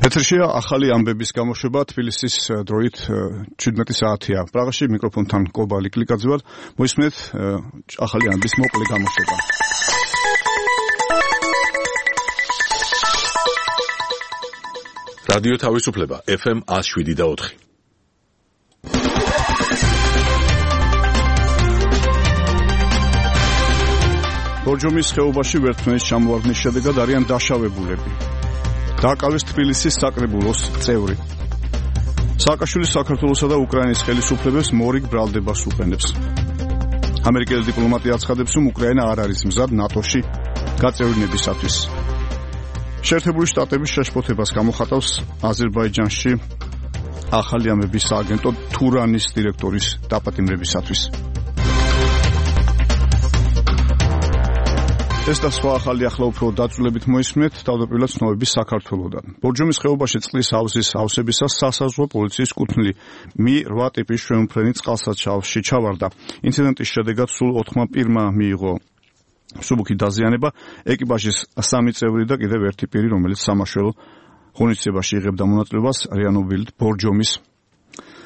ეთერშია ახალი ამბების გამოშვება თბილისის დროით 17 საათია. პრაღაში მიკროფონთან კობალი კლიკაძე ვარ. მოისმენთ ახალი ამბის მოკლე გამოშვება. რადიო თავისუფლება FM 107.4. ბორჯომის ხეობაში ვერტმნის ჩამოვარდნის შედეგად არიან დაშავებულები. დააკავეს თბილისის საკრებულოს წევრი. სააკაშვილი საქართველოსა და უკრაინის ხელისუფლებებს მორიგ ბრალდებას უყენებს. ამერიკელი დიპლომატი აცხადებს, რომ უკრაინა არ არის მზად ნატოში გაწევრინებისათვის. შეერთებული შტატების შეშფოთებას გამოხატავს აზერბაიჯანში ახალი ამბების სააგენტო თურანის დირექტორის დაპატიმრებისათვის. ეს და სხვა ახალი ახლა უფრო დაწვრილებით მოისმენთ თავდაპირველად ცნობების საქართველოდან. ბორჯომის ხეობაში წყლის ავზის ავსებისას სასაზღვრო პოლიციის კუთვნილი Mi-8 ტიპის შვეულმფრენი წყალსაცავში ჩავარდა. ინციდენტის შედეგად სულ 4 პირმა მიიღო მსუბუქი დაზიანება, ეკიპაჟის 3 წევრი და კიდევ ერთი პირი, რომელიც სამაშველო ღონისძიებაში იღებდა მონაწილეობას, რეანიმობილით ბორჯომის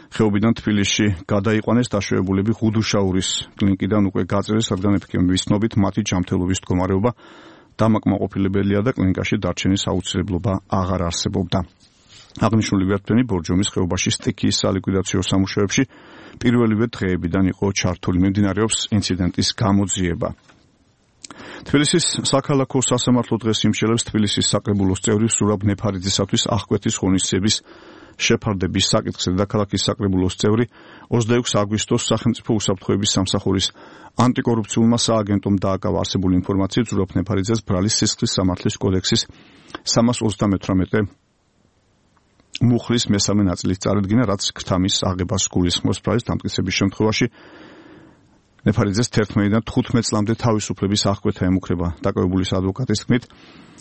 ხეობიდან თბილისში გადაიყვანეს. დაშავებულები ღუდუშაურის კლინიკიდან უკვე გაწერეს, რადგან ეფექტების ცნობით მათი ჯანმრთელობის მდგომარეობა დამაკმაყოფილებელია და კლინიკაში დარჩენის აუცილებლობა აღარ არსებობდა. აღნიშნული ვერტმფრენი ბორჯომის ხეობაში სტიქიის სალიკვიდაციო სამუშაოებში პირველივე დღეებიდან იყო ჩართული. მიმდინარეობს ინციდენტის გამოძიება. თბილისის საქალაქო სასამართლო დღეს იმშელებს თბილისის საკრებულოს წევრი სურაბ ნეფარიძისათვის აღკვეთის ღონისძიების შეფარდების საკითხზე. დედაქალაქის საკრებულოს წევრი 26 აგვისტოს სახელმწიფო უსაფრთხოების სამსახურის ანტიკორუფციულმა სააგენტომ დააკავა არსებული ინფორმაციით სურაბ ნეფარიძეს ბრალის სისხლის სამართლის კოდექსის 338 მუხლის მესამე ნაწილის წარედგინა, რაც ქრთამის აღებას გულისხმობს. ბრალის დამტკიცების შემთხვევაში ნეფარიძეს 11-დან 15 წლამდე თავისუფლების აღკვეთა ემუქრება. დაკავებულის ადვოკატის თქმით,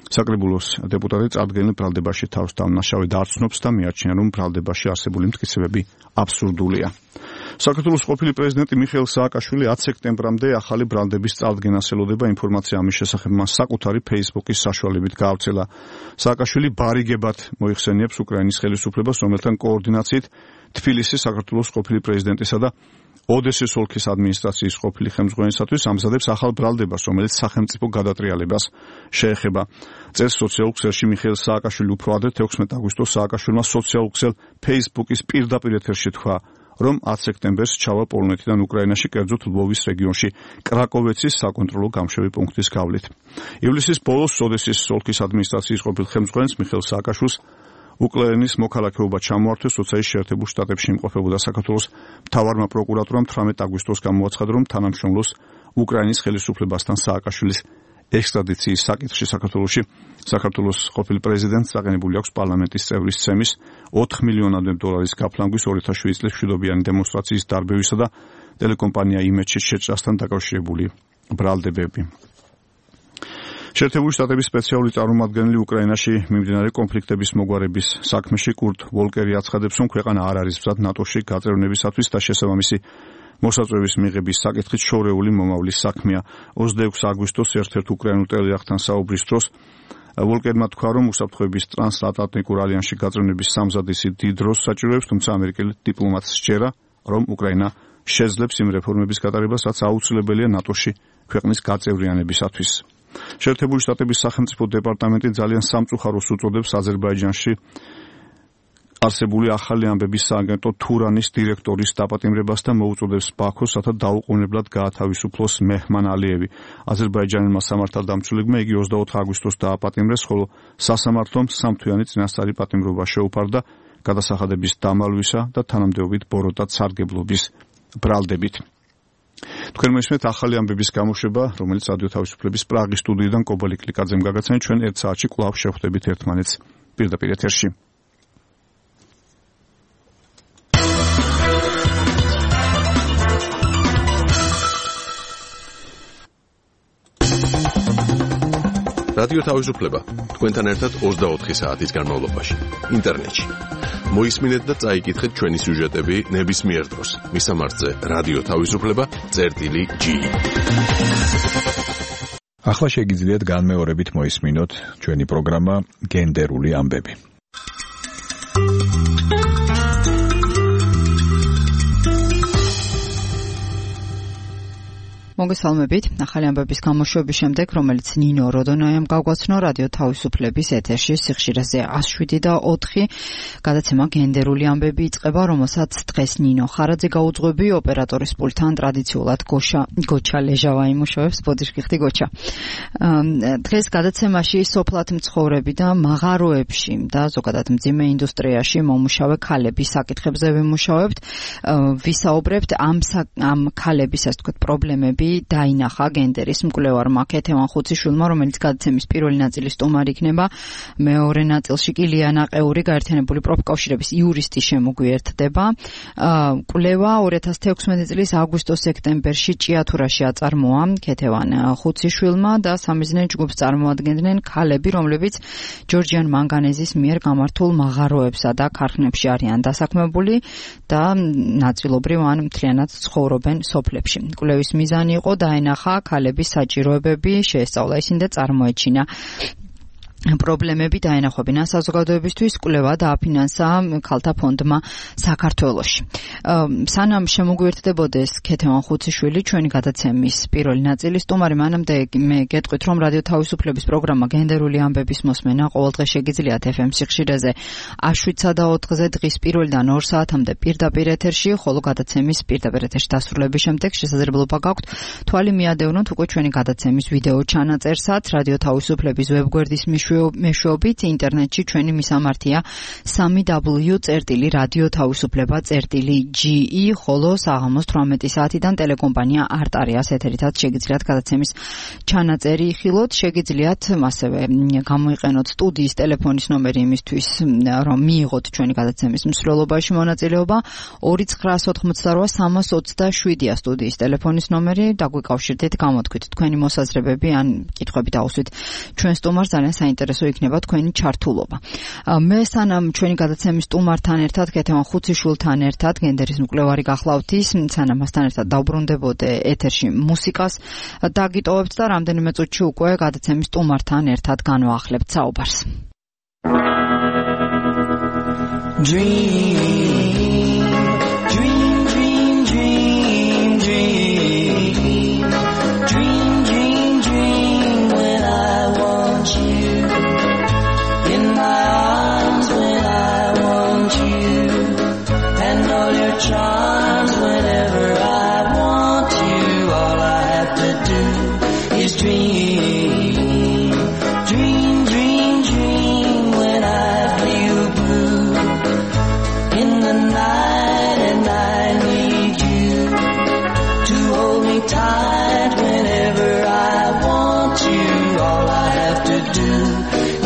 საკრებულოს დეპუტატი წარდგენილ ბრალდებაში თავს დამნაშავედ არ ცნობს და მიაჩნია, რომ ბრალდებაში არსებული მტკიცებები აბსურდულია. საქართველოს ყოფილი პრეზიდენტი მიხეილ სააკაშვილი 10 სექტემბრამდე ახალი ბრალდების წარდგენას ელოდება. ინფორმაცია ამის შესახებ მას საკუთარი Facebook-ის საშუალებით გაავრცელა. სააკაშვილი ბარიგებად მოიხსენიებს უკრაინის ხელისუფლებას, რომელთან კოორდინაციით თბილისის საქართველოს ყოფილი პრეზიდენტისა და ოდესის ოლქის ადმინისტრაციის ყოფილი ხელმძღვანელისათვის ამზადებს ახალ ბრალდებას, რომელიც სახელმწიფო გადატრიალებას შეეხება. წელს სოციალურ ქსელში მიხეილ სააკაშვილი უფრო ადრე 16 აგვისტოს სააკაშვილმა სოციალურ ქსელ Facebook-ის პირდაპირ ეთერში თქვა, რომ 10 სექტემბერს ჩავა პოლონეთიდან უკრაინაში, კერძოდ ლვოვის რეგიონში კრაკოვეცის საკონტროლო გამშვები პუნქტის გავლით. ივლისის ბოლოს ოდესის ოლქის ადმინისტრაციის ყოფილ ხელმძღვანელს მიხეილ სააკაშვილს უკრაინის მოქალაქეობა ჩამოართვეს, როცა ის შეერთებულ შტატებში იმყოფებოდა. საქართველოს მთავარმა პროკურატურამ 18 აგვისტოს გამოაცხადა, რომ თანამშრომლობს უკრაინის ხელისუფლებასთან სააკაშვილის ექსტრადიციის საკითხში. საქართველოს ყოფილ პრეზიდენტს წაყენებული აქვს პარლამენტის წევრის ცემის 4 მილიონამდე დოლარის გაფლანგვის 2007 წლის მშვიდობიანი დემონსტრაციის დარბევისა და ტელეკომპანია იმედში შეჭრასთან დაკავშირებული ბრალდებები. შეერთებული შტატების სპეციალური წარმომადგენელი უკრაინაში მიმდინარე კონფლიქტების მოგვარების საქმეში კურტ ვოლკერი აცხადებს, რომ ქვეყანა არ არის მზად ნატოში გაწევრინებისათვის და შესაბამისი მოსაწვევის მიღების საკითხით შორეული მომავლის საქმეა. 26 აგვისტოს ერთ-ერთ უკრაინულ ტელეარხთან საუბრის დროს ვოლკერმა თქვა, რომ უსაფრთხოების ტრანსატლანტიკურ ალიანსში გაწევრინების სამზადისი დიდ დროს საჭიროებს, თუმცა ამერიკელი დიპლომატს სჯერა, რომ უკრაინა შეძლებს იმ რეფორმების გატარებას, რაც აუცილებელია ნატოში ქვეყნის გაწევრიანებისათვის. შეერთებული შტატების სახელმწიფო დეპარტამენტი ძალიან სამწუხაროს უწოდებს აზერბაიჯანში არსებული ახალი ამბების სააგენტო თურანის დირექტორის დაპატიმრებას და მოუწოდებს ბაქოს, რათა დაუყოვნებლად გაათავისუფლოს მეჰმან ალიევი. აზერბაიჯანელმა სამართალდამცველებმა იგი 24 აგვისტოს დააპატიმრეს, ხოლო სასამართლომ 3 თვიანი წინასწარი პატიმრობა შეუფარდა გადასახადების დამალვისა და თანამდებობით ბოროტად სარგებლობის ბრალდებით. თქვენ მოისმენთ ახალი ამბების გამოშვება, რომელიც რადიო თავისუფლების პრაღის სტუდიიდან კობალი კლიკაძემ გაგაცნეთ. ჩვენ 1 საათში კვლავ შევხვდებით ერთმანეთს პირდაპირ ეთერში. რადიო თავისუფლება თქვენთან ერთად 24 საათის განმავლობაში ინტერნეტში. მოისმინეთ და წაიკითხეთ ჩვენი სიუჟეტები ნებისმიერ დროს. მისამართზე რადიო თავისუფლება.gi. ახლა შეგიძლიათ განმეორებით მოისმინოთ ჩვენი პროგრამა გენდერული ამბები. მოგესალმებით. ახალი ამბების გამოშვების შემდეგ, რომელიც ნინო როდონაიამ გაგვაცნო რადიო თავისუფლების ეთერში სიხშირეზე 107 და 4 გადაცემა გენდერული ამბები იწყება, რომელსაც დღეს ნინო ხარაძე გაუძღვები ოპერატორის პულტთან ტრადიციულად გოჩა ლეჟავა იმუშავებს. ბოდიშკიხდი გოჩა. დღეს გადაცემაში სოფლად მცხოვრები და მაღაროებში და ზოგადად მძიმე ინდუსტრიაში მომუშავე ქალების საკითხებზე ვიმუშავებთ. ვისაუბრებთ ამ ქალების ასე ვთქვათ პრობლემები დაინახა გენდერის მკვლევარმა ქეთევან ხუციშვილმა, რომელიც გადაცემის პირველი ნაწილის სტუმარი იქნება. მეორე ნაწილში კი ლიანა ყეური გაერთიანებული პროფკავშირების იურისტი შემოგვიერთდება. კვლევა 2016 წლის აგვისტო-სექტემბერში ჭიათურაში აწარმოა ქეთევან ხუციშვილმა და სამიზნე ჯგუფს წარმოადგენდნენ ქალები, რომლებიც ჯორჯიან მანგანეზის მიერ გამართულ მაღაროებსა და ქარხნებში არიან დასაქმებული და ნაწილობრივ ან მთლიანად ცხოვრობენ სოფლებში. კვლევის მიზანი იყო დაენახა ქალების საჭიროებები, შეესწავლა ისინი და წარმოეჩინა პრობლემები დაენახვებინა საზოგადოებისთვის. კვლევა დააფინანსა ქალთა ფონდმა საქართველოში. სანამ შემოგვიერთდებოდეს ქეთევან ხუციშვილი, ჩვენი გადაცემის პირველი ნაწილის სტუმარი, მანამდე მე გეტყვით, რომ რადიო თავისუფლების პროგრამა გენდერული ამბების მოსმენა ყოველდღე შეგიძლიათ FM სიხშირეზე 7-სა და 4-ზე დღის პირველიდან 2 საათამდე პირდაპირ ეთერში, ხოლო გადაცემის პირდაპირ ეთერში დასრულების შემდეგ შესაძლებლობა გაქვთ თვალი მიადევნოთ უკვე ჩვენი გადაცემის ვიდეო ჩანაწერსაც რადიო თავისუფლების ვებგვერდის მეშვეობით. ინტერნეტში ჩვენი მისამართია www.radiotavisufleba.ge, ხოლო საღამოს 18 საათიდან ტელეკომპანია არტარიას ეთერითაც შეგიძლიათ გადაცემის ჩანაწერი იხილოთ. შეგიძლიათ ასევე გამოიყენოთ სტუდიის ტელეფონის ნომერი იმისთვის, რომ მიიღოთ ჩვენი გადაცემის მსვლელობაში მონაწილეობა. 2988 სტუდიის ტელეფონის ნომერი. დაგვიკავშირდეთ, გამოთქვით თქვენი მოსაზრებები ან კითხვები დაუსვით ჩვენ სტუმარს, ძალიან საინტერესო იქნება თქვენი ჩართულობა. მე სანამ ჩვენი გადაცემის სტუმართან ერთად, ქეთევან ხუციშვილთან ერთად, გენდერის მკვლევარი გახლავთ ის, სანამ მასთან ერთად დავბრუნდებოდე ეთერში მუსიკას დაგიტოვებთ და რამდენიმე წუთში უკვე გადაცემის სტუმართან ერთად განვაახლებთ საუბარს. Charms whenever I want you, all I have to do is dream, dream, dream, dream when I feel blue in the night and I need you to hold me tight whenever I want you, all I have to do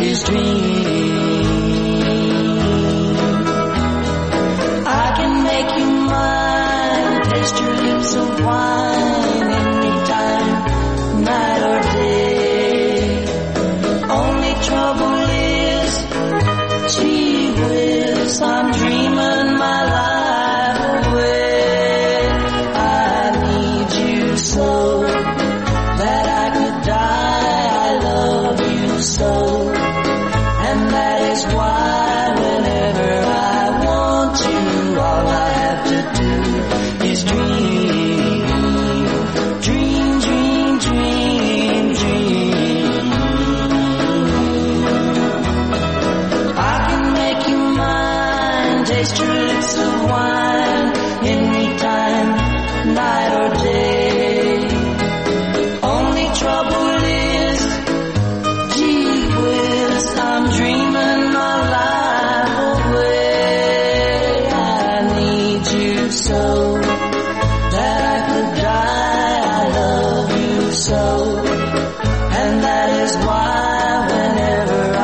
is dream. Taste your lips of wine anytime, night or day. Only trouble is, gee whiz, I'm dreaming my life away. I need you so that I could die. I love you so, and that is why whenever I want you, all I have to do is dream, dream, dream, dream, dream. I can make you mine, taste your lips of wine, anytime, night or day. Only trouble is, gee whiz, I'm dreaming my life away. I need you so that I could die. I love you so, and that is why whenever I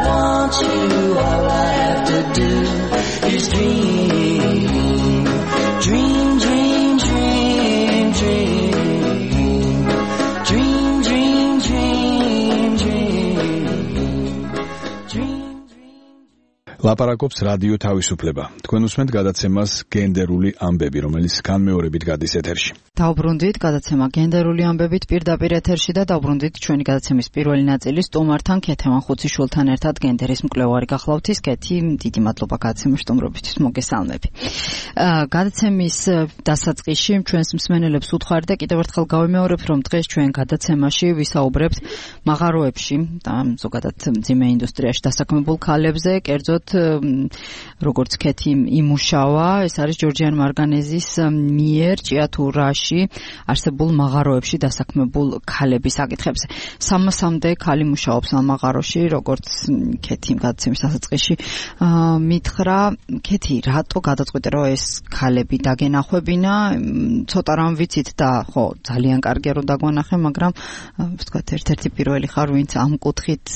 want you, all I have to do is dream, dream, dream, dream, dream, dream, dream, dream, dream, dream. ლაპარაკობს რადიო თავისუფლება. თქვენ უსმენთ გადაცემას გენდერული ამბები, რომელიც განმეორებით გადის ეთერში. დავბრუნდით გადაცემა გენდერული ამბებით პირდაპირ ეთერში და დავბრუნდით ჩვენი გადაცემის პირველი ნაწილის სტუმართან ქეთევან ხუციშვილთან ერთად გენდერის მკვლევარი გახლავთ ის ქეთი, დიდი მადლობა გადაცემის სტუმრობისთვის, მოგესალმები. გადაცემის დასაწყისში ჩვენს მსმენელებს ვუთხარი და კიდევ ერთხელ გავიმეორებთ, რომ დღეს ჩვენ გადაცემაში ვისაუბრებთ მაღაროებში და ზოგადად მძიმე ინდუსტრიაში დასაქმებულ ქალებზე, კერძოდ როგორც ქეთი იმუშავა, ეს არის ჯორჯიან მარგანეზის მიერ ჭიათურაში არსებულ მაღაროებში დასაქმებულ ქალების საკითხებზე. 300-მდე ქალი მუშაობს ამ მაღაროში, როგორც ქეთი გადაცემის დასაწყისში მითხრა. ქეთი, რატო გადაწყვიტე, რომ ეს ქალები დაგენახვებინა? ცოტა რამ ვიცით და ხო, ძალიან კარგია რომ დაგვანახე, მაგრამ ვთქვათ, ერთ-ერთი პირველი ხარ, ვინც ამ კუთხით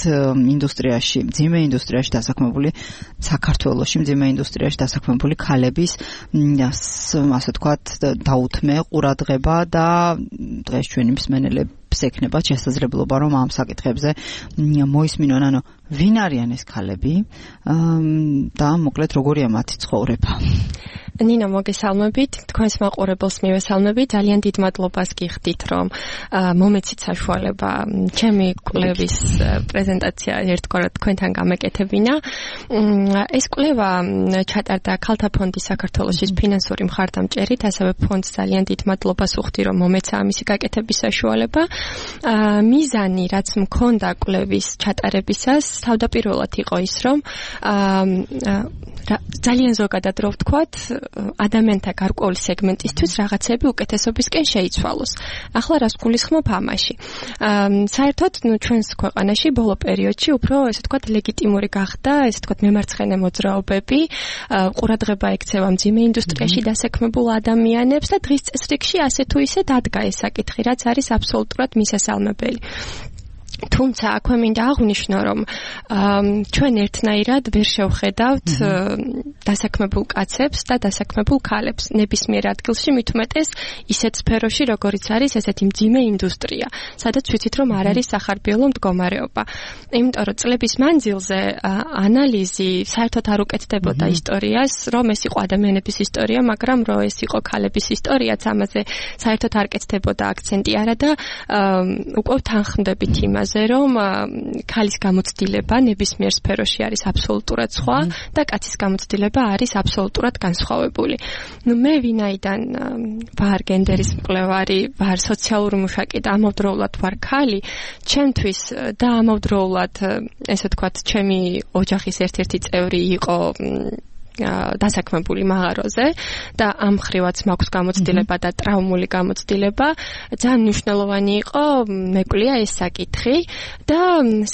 ინდუსტრიაში, მძიმე ინდუსტრიაში დასაქმებული საქართველოში მძიმე ინდუსტრიაში დასაქმებული ქალების ასე ვთქვათ დაუთმე ყურადღება და დღეს ჩვენი მსმენელებს ექნება შესაძლებლობა რომ ამ საკითხებზე მოისმინონ, ანუ ვინ არიან ეს ქალები და მოკლედ როგორია მათი ცხოვრება. ნინო, მოგესალმებით, თქვენს მაყურებელს მივესალმებით, ძალიან დიდ მადლობას გიხდით, რომ მომეცით საშუალება ჩემი კვლევის პრეზენტაცია ერთგვარად თქვენთან გამეკეთებინა. ეს კვლევა ჩატარდა ქალთა ფონდის საქართველოს ფინანსური მხარდამჭერით, ასევე ფონდს ძალიან დიდ მადლობას ვუხდი, რომ მომეცა ამისი გაკეთების საშუალება. მიზანი, რაც მქონდა კვლევის ჩატარებისას, თავდაპირველად იყო ის, რომ ძალიან ზოგადად რო ვთქვათ, ადამიანთა გარკვეული სეგმენტისთვის რაღაცები უკეთესობისკენ შეიცვალოს. ახლა რას გულისხმობ ამაში? საერთოდ, ჩვენს ქვეყანაში ბოლო პერიოდში უფრო, ესე ვთქვათ, ლეგიტიმური გახდა, ესე ვთქვათ, მემარცხენე მოძრაობები, ყურადღება ექცევა მძიმე ინდუსტრიაში დასაქმებულ ადამიანებს და დღის წესრიგში ასე თუ ისე დადგა ეს საკითხი, რაც არის აბსოლუტურად მისასალმებელი. თუმცა აქვე მინდა აღვნიშნო, რომ ჩვენ ერთნაირად ვერ შევხედავთ დასაქმებულ კაცებს და დასაქმებულ ქალებს ნებისმიერ ადგილში, მით უმეტეს ისეთ სფეროში, როგორიც არის ესეთი მძიმე ინდუსტრია, სადაც ვიცით, რომ არ არის სახარბიელო მდგომარეობა. იმიტომ რომ წლების მანძილზე ანალიზი საერთოდ არ უკეთდებოდა ისტორიას, რომ ეს იყო ადამიანების ისტორია, მაგრამ რომ ეს იყო ქალების ისტორიაც, ამაზე საერთოდ არ კეთდებოდა აქცენტი არა და უკვე თანხმდებით იმას, რომ ქალის გამოცდილება ნებისმიერ სფეროში არის აბსოლუტურად სხვა და კაცის გამოცდილება არის აბსოლუტურად განსხვავებული. მე ვინაიდან ვარ გენდერის მკვლევარი, ვარ სოციალური მუშაკი და ამავდროულად ვარ ქალი, ჩემთვის და ამავდროულად, ესე ვთქვათ, ჩემი ოჯახის ერთ-ერთი წევრი იყო დასაქმებული მაღაროზე და ამ ხრივაც მაქვს გამოცდილება და ტრაუმული გამოცდილება, ძალიან მნიშვნელოვანი იყო მეკვლია ეს საკითხი და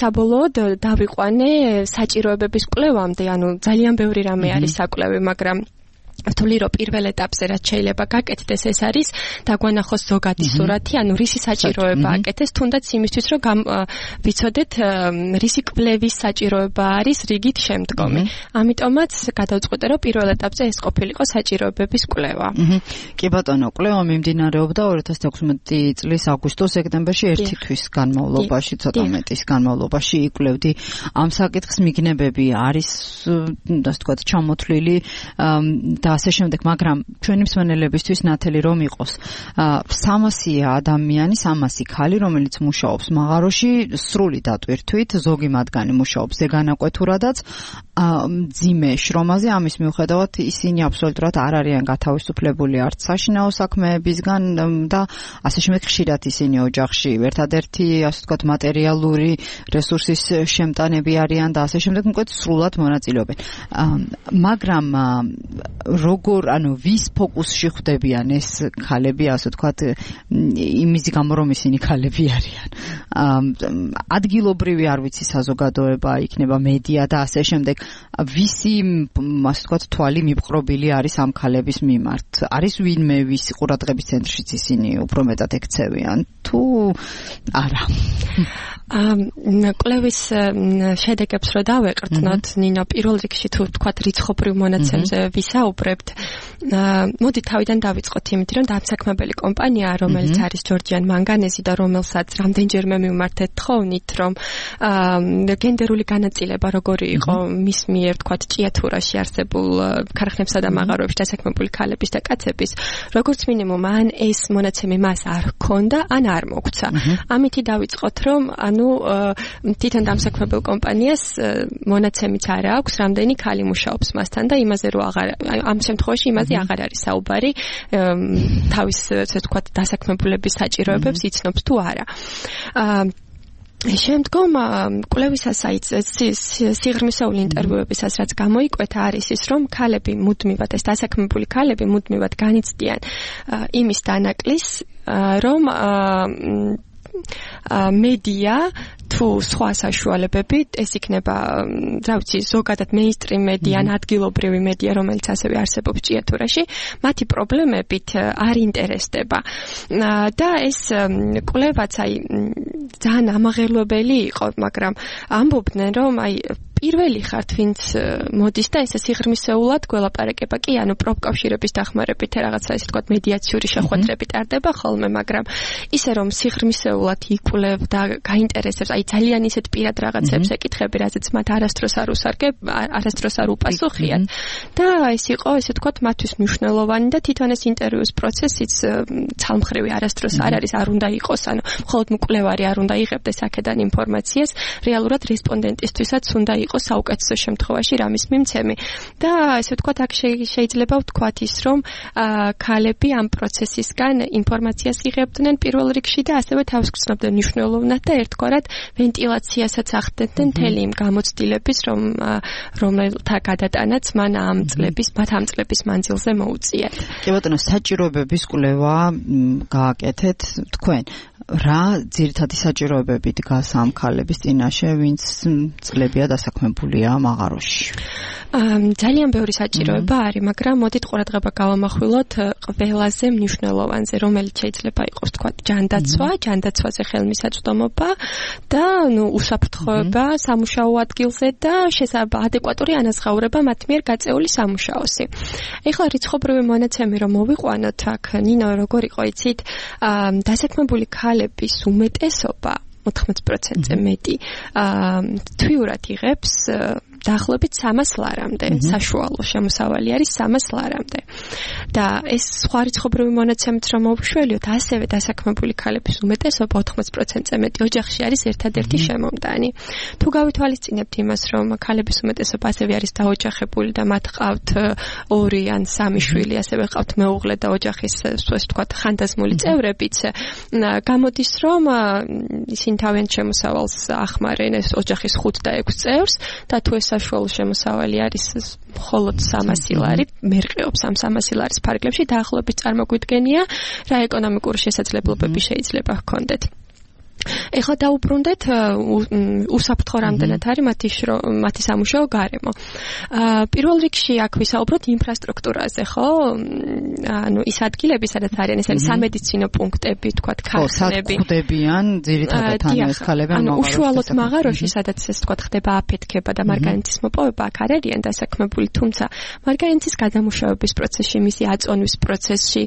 საბოლოოდ დავიყვანე საჭიროებების კვლევამდე, ანუ ძალიან ბევრი რამე არის საკვლევი, მაგრამ თვლი რომ პირველ ეტაპზე რაც შეიძლება გაკეთდეს ეს არის დაგვანახოს ზოგადი სურათი, ანუ რისი საჭიროება აკეთეს, თუნდაც იმისთვის რომ ვიცოდეთ რისი კვლევის საჭიროება არის რიგით შემდგომი. ამიტომაც გადავწყვიტე რომ პირველ ეტაპზე ეს ყოფილიყო საჭიროებების კვლევა. კი ბატონო, კვლევა მიმდინარეობდა 2016 წლის აგვისტო-სექტემბერში, ერთი თვის განმავლობაში, ცოტა მეტის განმავლობაში იკვლევდი ამ საკითხს. მიგნებები არის, ასე ვთქვათ, ჩამოთვლილი და ასე შემდეგ, მაგრამ ჩვენი მსმენელებისთვის ნათელი რომ იყოს 300 ადამიანი, 300 ქალი, რომელიც მუშაობს მაღაროში, სრული დატვირთვით, ზოგი მათგანი მუშაობს ზეგანაკვეთურადაც, მძიმე შრომაზე, ამის მიუხედავად ისინი აბსოლუტურად არ არიან გათავისუფლებული არც საშინაო საქმეებისგან და ასე შემდეგ, ხშირად ისინი ოჯახში ერთადერთი, ასე ვთქვათ, მატერიალური რესურსის შემტანები არიან და ასე შემდეგ, მოკლედ სრულად მონაწილეობენ. მაგრამ როგორ, ანუ ვის ფოკუსში ხვდებიან ეს ქალები, ასე ვთქვათ, იმის გამო რომ ისინი ქალები არიან. ადგილობრივი არ ვიცი საზოგადოება, იქნება მედია და ასე შემდეგ, ვისი, ასე ვთქვათ, თვალი მიპყრობილი არის ამ ქალების მიმართ? არის ვინმე ვის ყურადღების ცენტრშიც ისინი უფრო მეტად ექცევიან თუ არა? კვლევის შედეგებს რო დავეყრდნოთ, ნინო, პირველ რიგში თუ თქვათ რიცხობრივ მონაცემზე ვისაუბრებთ, მოდი თავიდან დავიწყოთ იმით, რომ დამსაქმებელი კომპანია, რომელიც არის ჯორჯიან მანგანეზი და რომელსაც რამდენჯერმე მივმართეთ თხოვნით, რომ გენდერული განაწილება როგორი იყო მის მიერ თქვათ ჭიათურაში არსებულ ქარხნებსა და მაღაროებში დასაქმებული ქალების და კაცების, როგორც მინიმუმ ან ეს მონაცემი მას არ ჰქონდა, ან არ მოგვცა. ამითი დავიწყოთ, რომ ანუ თვითონ დამსაქმებელ კომპანიას მონაცემიც არ აქვს, რამდენი ქალი მუშაობს მასთან და იმაზე რომ ამ შემთხვევაში იმაზე აღარ არის საუბარი, თავის ესე ვთქვათ დასაქმებულების საჭიროებებს იცნობს თუ არა. შემდგომ კვლევისას სიღრმისეული ინტერვიუებისას რაც გამოიკვეთა არის ის, რომ ქალები მუდმივად, ეს დასაქმებული ქალები მუდმივად განიცდიან იმის დანაკლის, რომ მედია თუ სხვა საშუალებებით, ეს იქნება, რა ვიცი, ზოგადად მეინსტრიმ მედია, ადგილობრივი მედია, რომელიც ასევე არსებობს ჭიათურაში, მათი პრობლემებით არ ინტერესდება. და ეს კვლევაც ძალიან ამაღელვებელი იყო, მაგრამ ამბობდნენ, რომ პირველი ხართ, ვინც მოდის და ესე სიღრმისეულად გველაპარაკება კი, ანუ პროფკავშირების დახმარებით რაღაცა ესე თქვა მედიაციური შეხვედრები ტარდება ხოლმე, მაგრამ ისე რომ სიღრმისეულად იკვლევ და გაინტერესებს, ძალიან ისეთ პირად რაღაცებს ეკითხები, რაზეც მათ არასდროს არ უპასუხიათ. და ეს იყო ესე თქვა მათთვის მნიშვნელოვანი და თვითონ ეს ინტერვიუს პროცესიც ცალმხრივი არასდროს არ არის, არ უნდა იყოს, ანუ მხოლოდ მკვლევარი არ უნდა იღებდეს აქედან ინფორმაციას, რეალურად რესპონდენტისთვისაც უნდა იყოს საუკეთესო შემთხვევაში რამის მიმცემი. და ესე ვთქვათ, აქ შეიძლება ვთქვათ ის, რომ ქალები ამ პროცესისგან ინფორმაციას იღებდნენ პირველ რიგში და ასევე თავს გრძნობდნენ მნიშვნელოვნად და ერთგვარად ვენტილაციასაც ახდენდნენ მთელი იმ გამოცდილების, რომელთა გადატანაც მათ ამ წლების მანძილზე მოუწიათ. კი ბატონო, საჭიროებების კვლევა გააკეთეთ თქვენ. რა ძირითადი საჭიროებები დგას ამ ქალების წინაშე, ვინც წლებია დასაქმებულია მაღაროში? ძალიან ბევრი საჭიროება არის, მაგრამ მოდით ყურადღება გავამახვილოთ ყველაზე მნიშვნელოვანზე, რომელიც შეიძლება იყოს თქვათ ჯანდაცვაზე ხელმისაწვდომობა და უსაფრთხოება სამუშაო ადგილზე და ადეკვატური ანაზღაურება მათ მიერ გაწეული სამუშაოსი. ეხლა რიცხობრივი მონაცემი რომ მოვიყვანოთ აქ, ნინო, როგორ იყო იცით, დასაქმებული ქალების უმეტესობა 14%-ზე მეტი თვიურად იღებს დაახლოებით 300 ლარამდე, საშუალო შემოსავალი არის 300 ლარამდე. და ეს სხვა რიცხობრივი მონაცემით რომ მოვშველიოთ, ასევე დასაქმებული ქალების უმეტესობა 80%-ზე მეტი ოჯახში არის ერთადერთი შემომტანი. თუ გავითვალისწინებთ იმას, რომ ქალების უმეტესობა ასევე არის დაოჯახებული და მათ ყავთ 2 ან 3 შვილი, ასევე ყავთ მეუღლე და ოჯახის, ასე ვთქვათ, ხანდაზმული წევრებიც, გამოდის, რომ ისინი თავიანთ შემოსავალს ახმარენ ეს ოჯახის 5 და 6 წევრს და თუ ეს საშუალო შემოსავალი არის მხოლოდ 300 ლარი, მერყეობს ამ 300 ლარის ფარგლებში, დაახლოებით წარმოგვიდგენია, რა ეკონომიკური შესაძლებლობები შეიძლება ჰქონდეთ. ეხლა დაუბრუნდეთ უსაფრთხო რამდენად არის მათი სამუშაო გარემო. პირველ რიგში აქ ვისაუბროთ ინფრასტრუქტურაზე, ხო? ანუ ის ადგილები, სადაც არიან, ეს არის სამედიცინო პუნქტები, თქვათ, ქარხნები. ხდებიან ძირითადად ეს ქალები ანუ უშუალოდ მაღაროში, სადაც ეს თქვათ ხდება აფეთქება და მარგანიტის მოპოვება, აქ არ არიან დასაქმებული, თუმცა მარგანიტის გადამუშავების პროცესში, მისი აწონვის პროცესში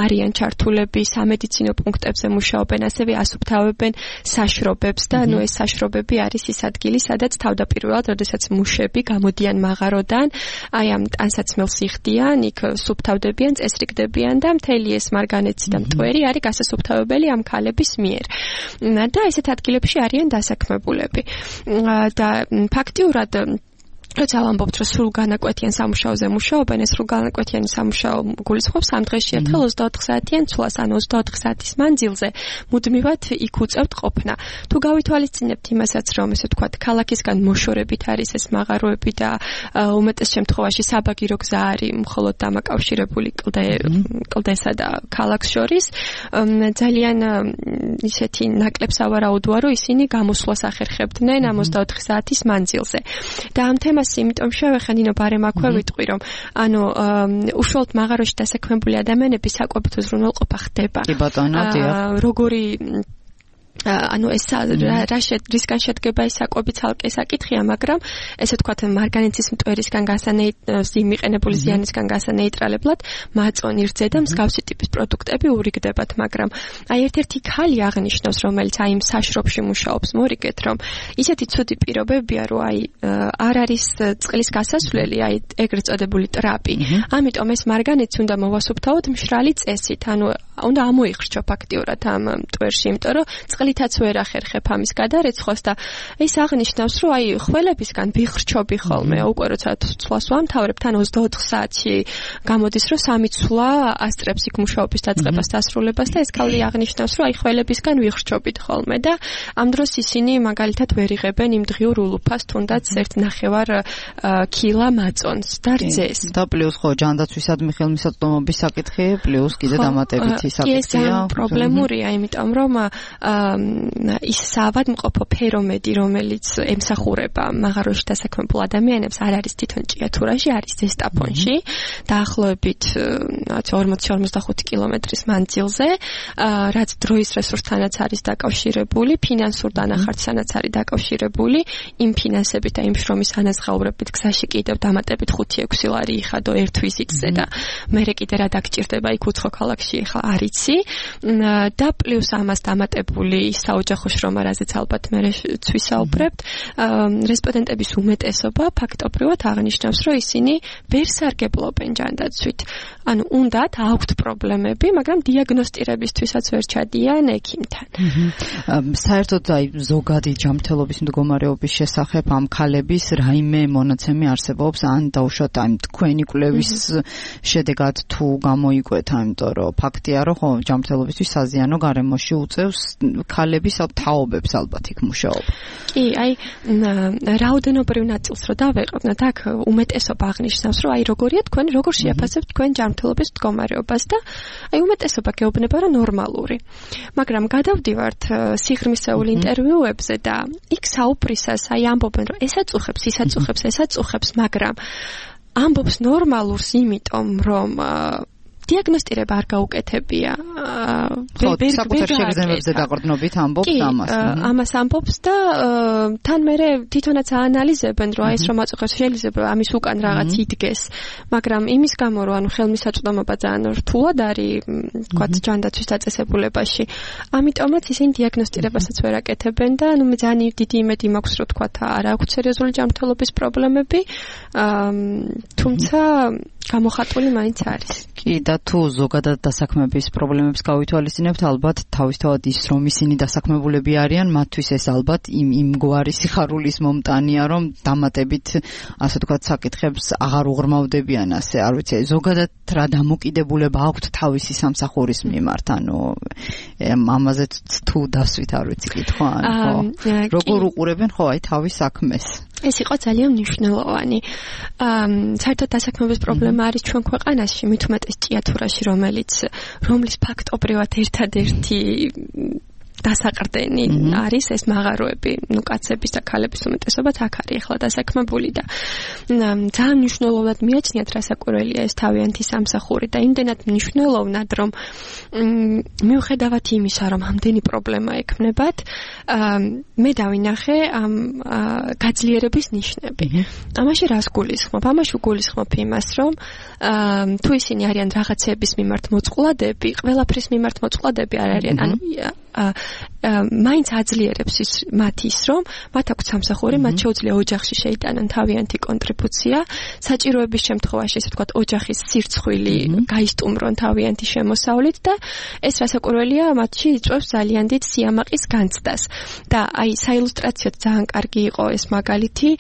არიან ჩართულები, სამედიცინო პუნქტებზე მუშაობენ, ასევე ასუფთავებენ საშრობებს და ეს საშრობები არის ის ადგილი, სადაც თავდაპირველად, როდესაც მუშები გამოდიან მაღაროდან, ამ ტანსაცმელს იხდიან, იქ სუფთავდებიან, წესრიგდებიან და მთელი ეს მარგანეცი და მტვერი არის გასასუფთავებელი ამ ქალების მიერ. და ესეთ ადგილებში არიან დასაქმებულები. და ფაქტიურად როცა ვამბობთ, რომ სრულგანაკვეთიან სამუშაოზე მუშაობენ, ეს სრულგანაკვეთიანი სამუშაო გულისხმობს 3 დღეში ერთხელ 24 საათიან ცვლას, ან 24 საათის მანძილზე მუდმივად იქ უწევთ ყოფნა. თუ გავითვალისწინებთ იმასაც, რომ ესე ვთქვათ, ქალაქისგან მოშორებით არის ეს მაღაროები და უმეტეს შემთხვევაში საბაგირო გზა არის მხოლოდ დამაკავშირებული კლდესა და ქალაქს შორის, ძალიან ისეთი ნაკლებს ავარაუდოა, რომ ისინი გამოსვლას ახერხებდნენ ამ 24 საათის მანძილზე. და ამ თემას იმიტომ შევეხე, ნინო, ბარემ აქვე ვიტყვი, რომ ანუ უშუალოდ მაღაროში დასაქმებული ადამიანების საკვებითო ზრუნველყოფა ხდება. კი ბატონო, დიახ. ანუ ეს რისგან შედგება ეს საკვები ცალკე საკითხია, მაგრამ ესე ვთქვათ მარგანეცის მტვერისგან მიყენებული ზიანისგან გასანეიტრალებლად მაწონი რძე და მსგავსი ტიპის პროდუქტები ურიგდებათ, მაგრამ აი ერთ-ერთი ქალი აღნიშნავს, რომელიც აი იმ საშრობში მუშაობს, მორიგეთ, რომ ისეთი ცუდი პირობებია, რომ აი არ არის წყლის გასასვლელი, აი ეგრეთ წოდებული ტრაპი. ამიტომ ეს მარგანეცი უნდა მოვასუფთავოთ მშრალი წესით, ანუ უნდა ამოიხრჩო ფაქტიურად ამ მტვერში, იმიტომ რომ წყლითაც ვერ ახერხებ ამის გადარეცხოს და ეს აღნიშნავს, რომ აი ხველებისგან ვიხრჩობი ხოლმე, უკვე როცა ცვლას ვამთავრებ, თან 24 საათში გამოდის, რომ 3 ცვლა ასწრებს იქ მუშაობის დაწყებას დასრულებას და ეს ქალი აღნიშნავს, რომ აი ხველებისგან ვიხრჩობით ხოლმე და ამ დროს ისინი მაგალითად ვერ იღებენ იმ დღიურ ულუფას, თუნდაც 1.5 კილა მაწონს და რძეს. და პლუს ხო ჯანდაცვისადმი ხელმისაწვდომობის საკითხი, პლუს კიდე დამატებითი საკითხია. პრობლემურია, იმიტომ რომ ის საავადმყოფო ფერომედი, რომელიც ემსახურება მაღაროში დასაქმებულ ადამიანებს, არ არის თვითონ ჭიათურაში, არის ზესტაფონში, დაახლოებით 40-45 კილომეტრის მანძილზე, რაც დროის რესურსთანაც არის დაკავშირებული, ფინანსურ დანახარჯთანაც არის დაკავშირებული, იმ ფინანსებით და იმ შრომის ანაზღაურებით გზაში კიდევ დამატებით 5-6 ლარი იხადო ერთ ვიზიტზე და მერე კიდე რა დაგჭირდება იქ უცხო ქალაქში ახლა არიცი და პლუს ამას დამატებული საოჯახო შრომა, რაზეც ალბათ მე ვისაუბრებთ, რესპონდენტების უმეტესობა ფაქტობრივად აღნიშნავს, რომ ისინი ვერ სარგებლობენ ჯანდაცვით. ანუ უნდათ აქვთ პრობლემები, მაგრამ დიაგნოსტირებისთვისაც ვერ ჩადიან ექიმთან. საერთოდ აი ზოგადი ჯანმრთელობის მდგომარეობის შესახებ ამ ქალების რაიმე მონაცემი არსებობს, ან დაუშვათ აი თქვენი კვლევის შედეგად თუ გამოიკვეთა, იმიტომ რომ ფაქტია, რომ ხო ჯანმრთელობისთვის საზიანო გარემოში უწევს ქალების თაობებს ალბათ იქ მუშაობა. კი, აი რაოდენობრივ ნაწილს რო დავეყვნათ, აქ უმეტესობა აღნიშნავს, რომ აი როგორია თქვენ, როგორ შეაფასებთ თქვენ ჯანმრთელობის მდგომარეობას და აი უმეტესობა გეუბნება, რომ ნორმალური. მაგრამ გადავდივართ სიღრმისეულ ინტერვიუებზე და იქ საუბრისას აი ამბობენ, რომ ესაც უხებს, მაგრამ ამბობს ნორმალურს, იმიტომ რომ დიაგნოსტირება არ გაუკეთებია. საკუთარ შეგრძნებებზე დაყრდნობით ამბობს ამას. ამას ამბობს და თან მერე თვითონაც აანალიზებენ, რომ ეს რომ აწუხებს შეიძლება ამის უკან რაღაც იდგეს, მაგრამ იმის გამო რომ ანუ ხელმისაწვდომობა ძალიან რთულად არის, თქვათ ჯანდაცვის დაწესებულებაში. ამიტომაც ისინი დიაგნოსტირებასაც ვერ აკეთებენ და ანუ მე ძალიან დიდი იმედი მაქვს, რომ თქვათ არ აქვს სერიოზული ჯანმრთელობის პრობლემები, თუმცა გამოხატული მაინც არის. კი და თუ ზოგადად დასაქმების პრობლემებს გავითვალისწინებთ, ალბათ თავისთავად ის რომ ისინი დასაქმებულები არიან, მათთვის ეს ალბათ იმგვარი სიხარულის მომტანია, რომ დამატებით ასე ვთქვათ საკითხებს აღარ უღრმავდებიან, ასე არ ვიცი, ზოგადად რა დამოკიდებულება აქვთ თავისი სამსახურის მიმართ, ანუ ამაზე თუ დასვით არ ვიცი კითხვა, ხო როგორ უყურებენ ხო აი თავის საქმეს. ეს იყო ძალიან მნიშვნელოვანი. საერთოდ დასაქმების პრობლემა არის ჩვენ ქვეყანაში, მით უმეტეს ჭიათურაში, რომლის ფაქტობრივად ერთადერთი დასაყრდენი არის ეს მაღაროები, ნუ კაცების და ქალების უმეტესობაც აქ არის ახლა დასაქმებული და ძალიან მნიშვნელოვნად მიაჩნიათ რასაკვირველია ეს თავიანთი სამსახური და იმდენად მნიშვნელოვნად, რომ მიუხედავად იმისა, რომ ამდენი პრობლემა ექმნებათ, მე დავინახე ამ გაძლიერების ნიშნები. ამაში რას გულისხმობ? ამაში გულისხმობ იმას, რომ თუ ისინი არიან რაღაცების მიმართ მოწყვლადები, ყველაფრის მიმართ მოწყვლადები არ არიან, ანუ მაინც აძლიერებს მათ ის, რომ მათ აქვს სამსახური, მათ შეუძლია ოჯახში შეიტანონ თავიანთი კონტრიბუცია, საჭიროების შემთხვევაში, ესე ვთქვათ, ოჯახის სირცხვილი გაისტუმრონ თავიანთი შემოსავლით და ეს რასაკვირველია, მათში იწვევს ძალიან დიდ სიამაყის განცდას. და აი საილუსტრაციოდ ძალიან კარგი იყო ეს მაგალითი,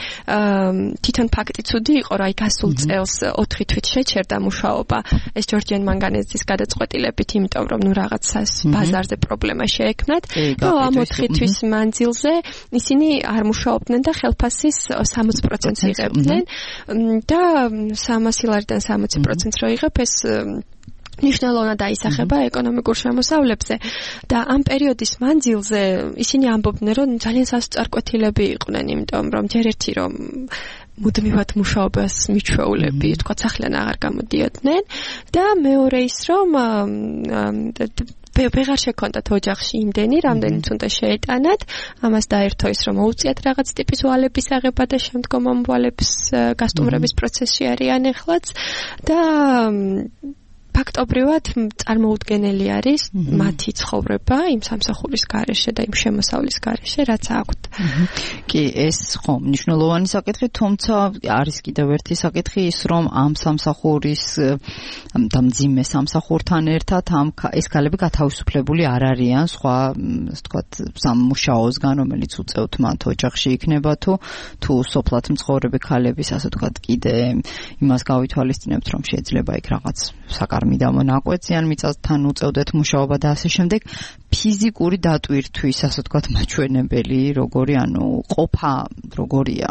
თვითონ ფაქტი ცუდი იყო, რომ აი გასულ წელს 4 თვით შეჩერდა მუშაობა ეს ჯორჯიან მანგანეზის გადაწყვეტილებით, იმიტომ რომ ნუ რაღაცას ბაზარზე პრობლემა შეექმნათ. და ამ 4 თვის მანძილზე ისინი არ მუშაობდნენ და ხელფასის 60% იღებდნენ და 300 ლარიდან 60% რო იღებ ეს ნიშნულოვნად აისახება ეკონომიკურ შემოსავლებზე და ამ პერიოდის მანძილზე ისინი ამბობდნენ, რომ ძალიან სასწარკვეთილები იყვნენ, იმიტომ რომ ჯერ ერთი რომ მუდმივად მუშაობას მიჩვეულები, თქვა სახლიდან აღარ გამოდიოდნენ და მეორე ის რომ ვეღარ შექონდათ ოჯახში იმდენი, რამდენიც უნდა შეეტანათ. ამას დაერთო ის, რომ მოუწიათ რაღაც ტიპის ვალების აღება და შემდგომ ამ ვალებს გასტუმრების პროცესში არიან ეხლაც და ფაქტობრივად წარმოუდგენელი არის მათი ცხოვრება იმ სამსახურის გარეშე და იმ შემოსავლის გარეშე, რაც აქვთ. კი, ეს ხო მნიშვნელოვანი საკითხი, თუმცა არის კიდევ ერთი საკითხი ის, რომ ამ სამსახურის და მძიმე სამსახურთან ერთად ეს ქალები გათავისუფლებული არ არიან სხვა, ასე ვთქვათ, სამუშაოსგან, რომელიც უწევთ მათ ოჯახში იქნება თუ სოფლად მცხოვრები ქალების, ასე ვთქვათ, კიდე იმას გავითვალისწინებთ, რომ შეიძლება იქ რაღაც საკარმიდამო ნაკვეთიან მიწასთან უწევდეთ მუშაობა და ასე შემდეგ. ფიზიკური დატვირთვის, ასე ვთქვათ, მაჩვენებელი როგორი, ყოფა როგორია?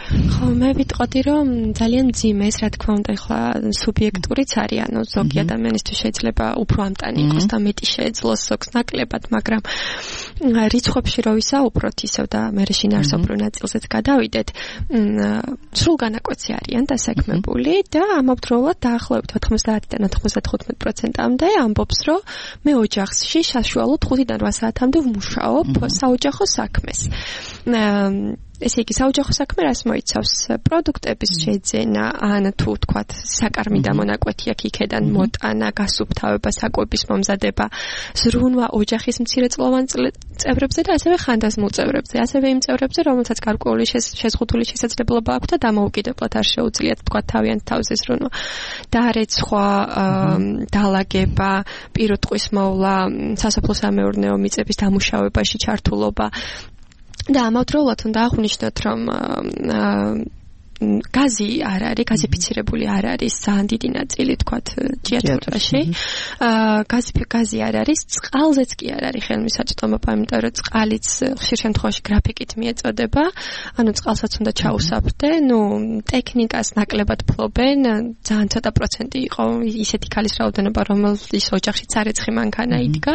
ხო, მე ვიტყოდი, რომ ძალიან მძიმე ეს, რა თქმა უნდა, ახლა სუბიექტურიც არის, ზოგი ადამიანისთვის შეიძლება უფრო ამტანი იყოს და მეტი შეეძლოს ზოგს ნაკლებად, მაგრამ რიცხვებში რო ვისაუბროთ ისევ და მე შინაარსობრივ ნაწილზეც გადავიდეთ, სრულ განაკვეთზე არიან დასაქმებული და ამავდროულად დაახლოებით 90-დან 95%-მდე ამბობს, რომ მე ოჯახში საშუალოდ 5-დან 8 საათამდე ვმუშაობ საოჯახო საქმეს. ესე იგი, საოჯახო საქმე რას მოიცავს? პროდუქტების შეძენა, ან თუ ვთქვათ, საკარმიდამო ნაკვეთი აქ იქედან მოტანა, გასუფთავება, საკვების მომზადება, ზრუნვა ოჯახის მცირეწლოვან წევრებზე და ასევე ხანდაზმულ წევრებზე, ასევე იმ წევრებზე, რომელთაც გარკვეული შეზღუდული შესაძლებლობა აქვთ და დამოუკიდებლად არ შეუძლიათ ვთქვათ თავიანთ თავზე ზრუნვა. და არის სხვა დალაგება, პირუტყვის მოვლა, სასოფლო-სამეურნეო მიწების დამუშავებაში ჩართულობა. და ამავდროულად უნდა აღვნიშნოთ, რომ გაზი არ არის, გაზიფიცირებული არ არის ძალიან დიდი ნაწილი, თქვათ, ჭიათურაში. გაზი არ არის, წყალზეც კი არ არის ხელმისაწვდომობა, იმიტომ რომ წყალიც ხშირ შემთხვევაში გრაფიკით მიეწოდება, ანუ წყალსაც უნდა ჩაუსაფრდე, ტექნიკას ნაკლებად ფლობენ, ძალიან ცოტა პროცენტი იყო ისეთი ქალის რაოდენობა, რომელიც ოჯახშიც არეცხი მანქანა იდგა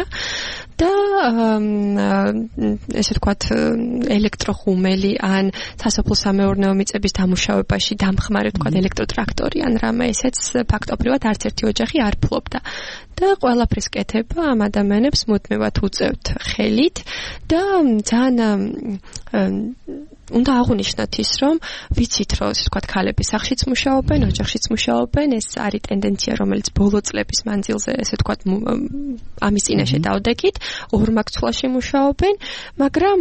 და ესე ვთქვათ, ელექტროხუმელი ან სასოფლო-სამეურნეო მიწების დამუშავებაში დამხმარე, ვთქვათ, ელექტროტრაქტორი ან რამე, ესეც ფაქტობრივად არც ერთი ოჯახი არ ფლობდა. და ყველაფრის კეთება ამ ადამიანებს მუდმივად უწევთ ხელით და ძალიან უნდა აღვნიშნოთ ის, რომ ვიცით, რომ ესე ვთქვათ, ქალები სახლშიც მუშაობენ, ოჯახშიც მუშაობენ, ეს არის ტენდენცია, რომელიც ბოლო წლების მანძილზე, ესე ვთქვათ, ამის წინაშე დავდექით, ორმაგცვლაში მუშაობენ, მაგრამ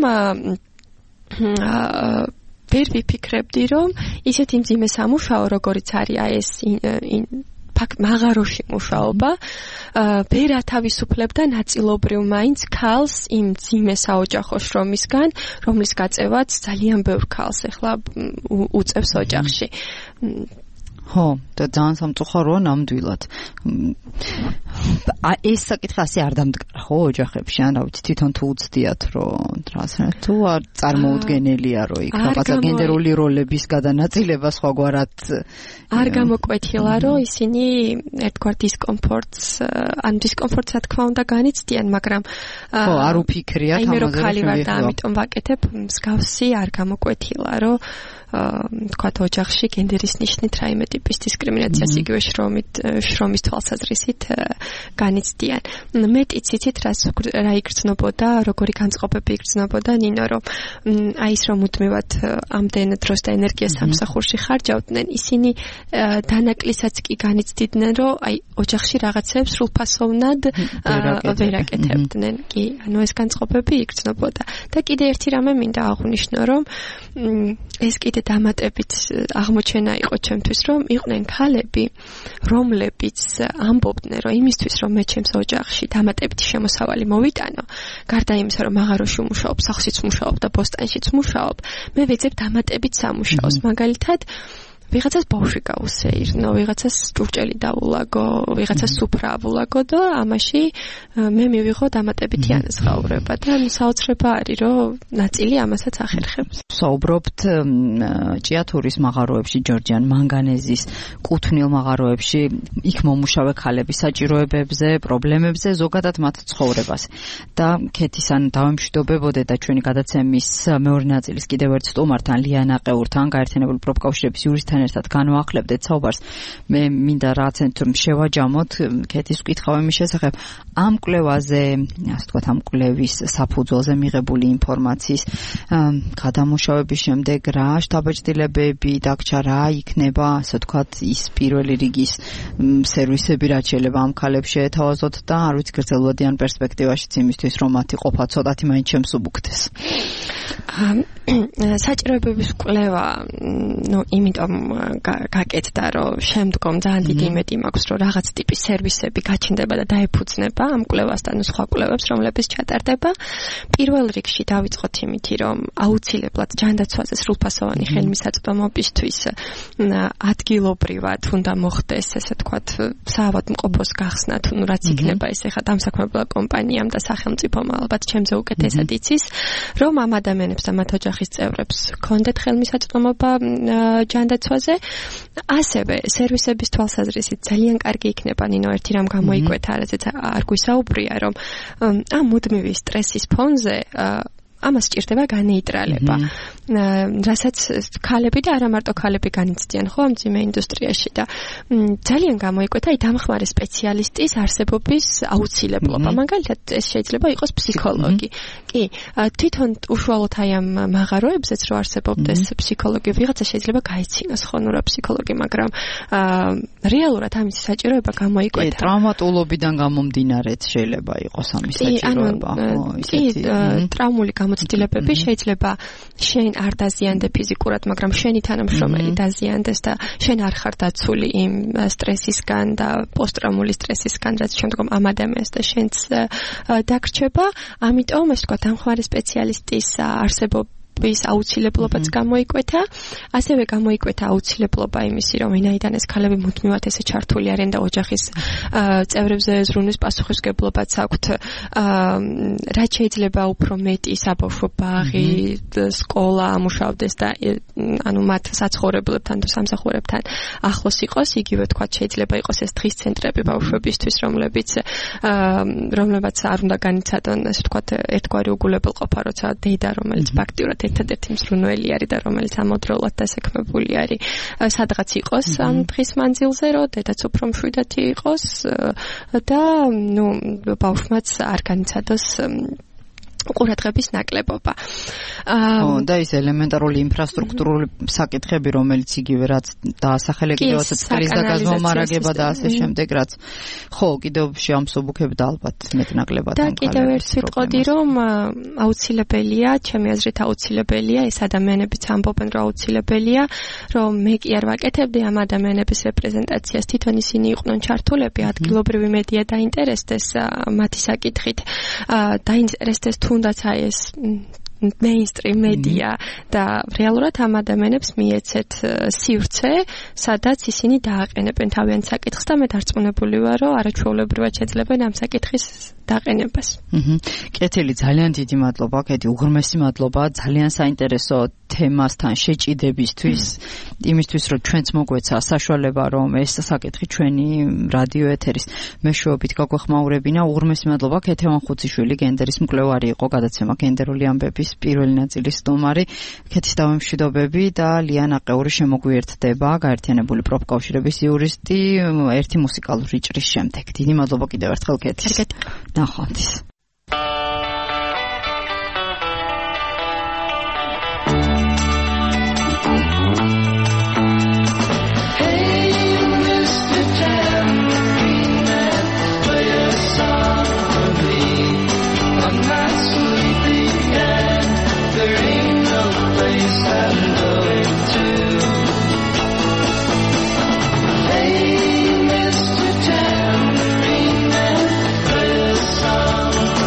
ვერ ვიფიქრებდი, რომ ისეთი მძიმე სამუშაო, როგორიც არის ეს მაღაროში მუშაობა, ვერ ათავისუფლებდა ნაწილობრივ მაინც ქალს იმ მძიმე საოჯახო შრომისგან, რომლის გაწევაც ძალიან ბევრ ქალს ახლა უწევს ოჯახში. ხო, და ძალიან სამწუხაროა ნამდვილად. ეს საკითხი ასე არ დამდგარა, ხო, ოჯახებში, ან რა ვიცი, თვითონ თუ უცდიათ, რომ თუ არ წარმოუდგენელია, რომ იქ რაღაცა გენდერული როლების გადანაწილება სხვაგვარად არ გამოკვეთილა, რომ ისინი ერთგვარ დისკომფორტს, ან დისკომფორტს რა თქმა უნდა განიცდიან, მაგრამ ხო, არ უფიქრიათ ამაზე. აი მე რო ქალი ვარ და ამიტომ ვაკეთებ, მსგავსი არ გამოკვეთილა, რომ თქვათ ოჯახში გენდერის ნიშნით რაიმე ტიპის დისკრიმინაციას იგივე შრომის თვალსაზრისით განიცდიან. მეტიც იცით რა იგრძნობოდა, როგორი განწყობები იგრძნობოდა ნინო, რომ აი ის რომ მუდმივად ამდენ დროს და ენერგიას სამსახურში ხარჯავდნენ, ისინი დანაკლისაც კი განიცდიდნენ, რომ აი ოჯახში რაღაცებს სრულფასოვნად ვერ აკეთებდნენ. კი, ანუ ეს განწყობები იგრძნობოდა. და კიდე ერთი რამე მინდა აღვნიშნო, რომ ეს კიდე დამატებით აღმოჩენა იყო ჩემთვის, რომ იყვნენ ქალები, რომლებიც ამბობდნენ, რომ იმისთვის, რომ მე ჩემს ოჯახში დამატებითი შემოსავალი მოვიტანო, გარდა იმისა, რომ მაღაროში მუშაობ, სახლშიც მუშაობ და ბოსტანშიც მუშაობ, მე ვეძებ დამატებით სამუშაოს, მაგალითად ვიღაცას ბავშვი გაუსეირნო, ვიღაცას ჭურჭელი დაულაგო, ვიღაცას სუფრა აულაგო და ამაში მე მივიღო დამატებითი ანაზღაურება და საოცრება არის, რომ ნაწილი ამასაც ახერხებს. საუბრობთ ჭიათურის მაღაროებში, ჯორჯიან მანგანეზის კუთვნილ მაღაროებში, იქ მომუშავე ქალების საჭიროებებზე, პრობლემებზე, ზოგადად მათ ცხოვრებას. და ქეთისან დავემშვიდობებოდე და ჩვენი გადაცემის მეორე ნაწილის კიდევ ერთ სტუმართან, ლიანა ყეურთან, გაერთიანებული პროფკავშირების იურისტთან კეთისთან ერთად განვაახლებდეთ საუბარს. მე მინდა რაღაც შევაჯამოთ კეთის ვკითხავ იმის შესახებ ამ კვლევაზე, ასე ვთქვათ, ამ კვლევის საფუძველზე მიღებული ინფორმაციის გადამუშავების შემდეგ რა შთაბეჭდილებები დაგჭა, რა იქნება, ასე ვთქვათ, ის პირველი რიგის სერვისები, რაც შეიძლება ამ ქალებს შეეთავაზოთ და არ ვიცი გრძელვადიან პერსპექტივაშიც იმისთვის, რომ მათი ყოფა ცოტათი მაინც შემსუბუქდეს. საჭიროებების კვლევა, იმიტომ გაკეთდა, რომ შემდგომ ძალიან დიდი იმედი მაქვს, რომ რაღაც ტიპის სერვისები გაჩნდება და დაეფუძნება ამ კვლევასთან სხვა კვლევებს, რომლებიც ჩატარდება. პირველ რიგში დავიწყოთ იმითი, რომ აუცილებლად ჯანდაცვაზე სრულფასოვანი ხელმისაწვდომობისთვის ადგილობრივად უნდა მოხდეს, ესე ვთქვათ, საავადმყოფოს გახსნა, რაც იქნება ეს ახლა დამსაქმებელ კომპანიამ და სახელმწიფომ ალბათ ჩემზე უკეთესად იცის, რომ ამ ადამიანებს და მათ ოჯახის წევრებს ჰქონდეთ ხელმისაწვდომობა ჯანდაცვაზე. ასევე სერვისების თვალსაზრისით ძალიან კარგი იქნება, ნინო, ერთი რამ გამოიკვეთა, რაზეც არ გვისაუბრია, რომ ამ მუდმივი სტრესის ფონზე ამას სჭირდება განეიტრალება. რასაც ქალები და არა მარტო ქალები განიცდიან ხო ამ ძიმე ინდუსტრიაში და ძალიან გამოიკვეთა დამხმარე სპეციალისტის არსებობის აუცილებლობა. მაგალითად, ეს შეიძლება იყოს ფსიქოლოგი. კი, თვითონ უშუალოდ აი ამ მაღაროებზეც რო არსებობდეს ფსიქოლოგი, ვიღაცა შეიძლება გაიცინოს ხო ნუ რა ფსიქოლოგი, მაგრამ რეალურად ამის საჭიროება გამოიკვეთა. კი, ტრავმატოლოგიდან გამომდინარეც შეიძლება იყოს ამის საჭიროება, ხო, ისეთი. ტრავმული გამოცდილებები შეიძლება შენ არ დაზიანდე ფიზიკურად, მაგრამ შენი თანამშრომელი დაზიანდეს და შენ არ ხარ დაცული იმ სტრესისგან და პოსტტრაუმული სტრესისგან, რაც შემდგომ ამ ადამიანს და შენც დაგრჩება. ამიტომ ეს თქვა დამხმარე სპეციალისტის არსებობის აუცილებლობაც გამოიკვეთა. ასევე გამოიკვეთა აუცილებლობა იმისი, რომ ვინაიდან ეს ქალები მუდმივად ესე ჩართული არიან და ოჯახის წევრებზე ზრუნვის პასუხისმგებლობაც აქვთ, რაც შეიძლება უფრო მეტი საბავშვო ბაღი, სკოლა ამუშავდეს და ანუ მათ საცხოვრებლებთან და სამსახურებთან ახლოს იყოს, იგივე თქვა შეიძლება იყოს ეს დღის ცენტრები ბავშვებისთვის, რომლებაც არ უნდა განიცადონ, ასე ვთქვათ, ერთგვარი უგულებელყოფა, როცა დედა, რომელიც ფაქტიურად ერთადერთი მზრუნველი არის და რომელიც ამოდროულად დასაქმებული არის, სადღაც იყოს ამ დღის მანძილზე, რომ დედაც უფრო მშვიდათი იყოს და ბავშვმაც არ განიცადოს ყურადღების ნაკლებობა. და ის ელემენტარული ინფრასტრუქტურული საკითხები, რომელიც იგივე რაც დაასახელე კიდევ წლის და გაზომარაგება და ასე შემდეგ, რაც ხო კიდევ შეამსუბუქებდა ალბათ მეტნაკლებად. და კიდევ ერთ ვიტყოდი, რომ აუცილებელია, ჩემი აზრით აუცილებელია, ეს ადამიანებიც ამბობენ, რომ აუცილებელია, რომ მე კი არ ვაკეთებდი ამ ადამიანების რეპრეზენტაციას, თვითონ ისინი იყვნენ ჩართულები, ადგილობრივი მედია დაინტერესდეს მათი საკითხით, დაინტერესდეს თუნდაც აი ეს mainstream media და რეალურად ამ ადამიანებს მიეცეთ სივრცე, სადაც ისინი დააყენებენ თავიანთ საკითხს და მე დარწმუნებული ვარ, რომ არაჩვეულებრივად შეძლებენ ამ საკითხის დაყენებას. კეთილი, ძალიან დიდი მადლობა, კეთი, უღრმესი მადლობა, ძალიან საინტერესო თემასთან შეჭიდებისთვის, იმისთვის, რომ ჩვენც მოგვეცა საშუალება, რომ ეს საკითხი ჩვენი რადიო ეთერის მეშვეობით გაგვეხმაურებინა. უღრმესი მადლობა, კეთი ვანხუციშვილი, გენდერის მკვლევარი იყო, გადაცემა გენდერული ამბების პირველი ნაწილის სტუმარი. კეთის დავემშვიდობები და ლიანა ყეური შემოგვიერთდება, გაერთიანებული პროფკავშირების იურისტი, ერთი მუსიკალური ჭრის შემდეგ. დიდი მადლობა კიდევ ერთხელ კეთის. ნახვამდის. Hey, Mr. Tambourine Man, play a song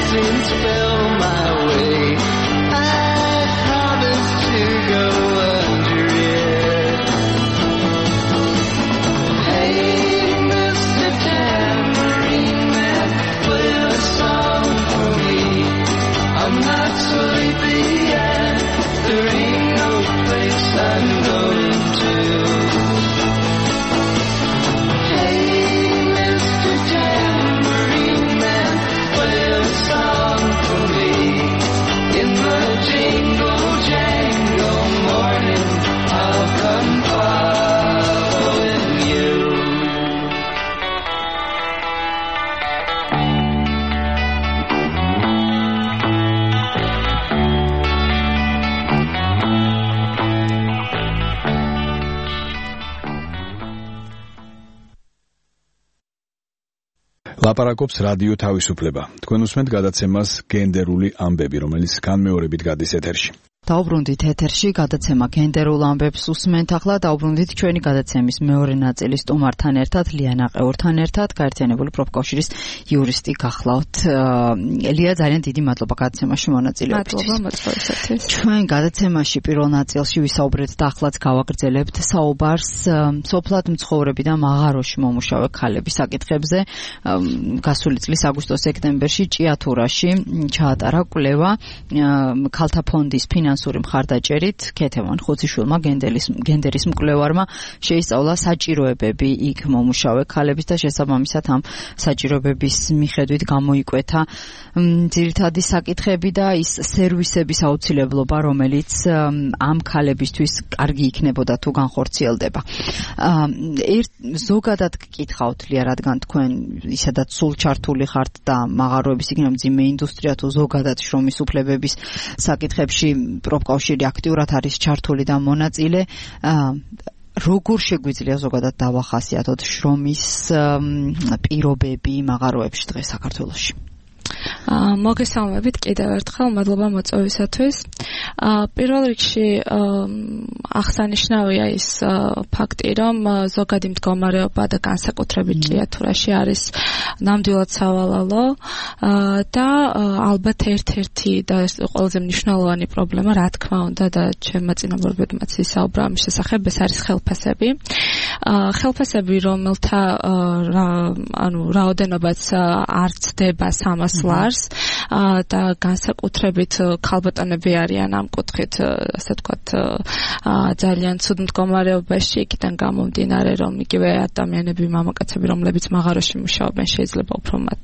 blessings fell my way. I promised to go under it. Hey, Mr. Tambourine Man, play a song for me. I'm not sleepy yet. There ain't no place I'm going to. Hey, Mr. Tambourine Man, play a song for me. In the jingle jangle morning, I'll come following you. ლაპარაკობს რადიო თავისუფლება. თქვენ უსმენთ გადაცემას გენდერული ამბები, რომელიც განმეორებით გადის ეთერში. დაუბრუნდით ეთერში გადაცემა გენდერულ ამბებს უსმენთ. ახლა დაუბრუნდით ჩვენი გადაცემის მეორე ნაწილის სტუმართან ერთად, ლიანა ყეურთან ერთად, გაერთიანებული პროფკავშირის იურისტი გახლავთ. ლია, ძალიან დიდი მადლობა გადაცემაში მონაწილეობისთვის. მადლობა მოწვევისათვის. ჩვენ გადაცემაში პირველ ნაწილში ვისაუბრეთ და ახლაც გავაგრძელებთ საუბარს სოფლად მცხოვრები და მაღაროში მომუშავე ქალების საკითხებზე. გასული წლის აგვისტო-სექტემბერში ჭიათურაში ჩაატარა კვლევა ქალთა ფონდის ფინანსური მხარდაჭერით ქეთევან ხუციშვილმა გენდერის მკვლევარმა შეისწავლა საჭიროებები იქ მომუშავე ქალების და შესაბამისად ამ საჭიროებების მიხედვით გამოიკვეთა ძირითადი საკითხები და ის სერვისების აუცილებლობა, რომელიც ამ ქალებისთვის კარგი იქნებოდა თუ განხორციელდება. ზოგადად გკითხავთ ლია, რადგან თქვენ ისედაც სულ ჩართული ხართ და მაღაროების იქნება მძიმე ინდუსტრია თუ ზოგადად შრომის უფლებების საკითხებში პროფკავშირი აქტიურად არის ჩართული და მონაწილე. როგორ შეგვიძლია ზოგადად დავახასიათოთ შრომის პირობები მაღაროებში დღეს საქართველოში? მოგესალმებით კიდევ ერთხელ, მადლობა მოწვევისათვის. პირველ რიგში აღსანიშნავია ის ფაქტი, რომ ზოგადი მდგომარეობა და განსაკუთრებით ჭიათურაში არის ნამდვილად სავალალო და ალბათ ერთ-ერთი და ყველაზე მნიშვნელოვანი პრობლემა, რა თქმა უნდა, და ჩემმა წინამორბედმაც ისაუბრა ამის შესახებ, ეს არის ხელფასები. ხელფასები, რომელთა რაოდენობაც არ ცდება 300 ლარს და განსაკუთრებით ქალბატონები არიან ამ კუთხით, ასე ვთქვათ, ძალიან ცუდ მდგომარეობაში, იქიდან გამომდინარე, რომ იგივე ადამიანები, მამაკაცები, რომლებიც მაღაროში მუშაობენ, შეიძლება უფრო მათ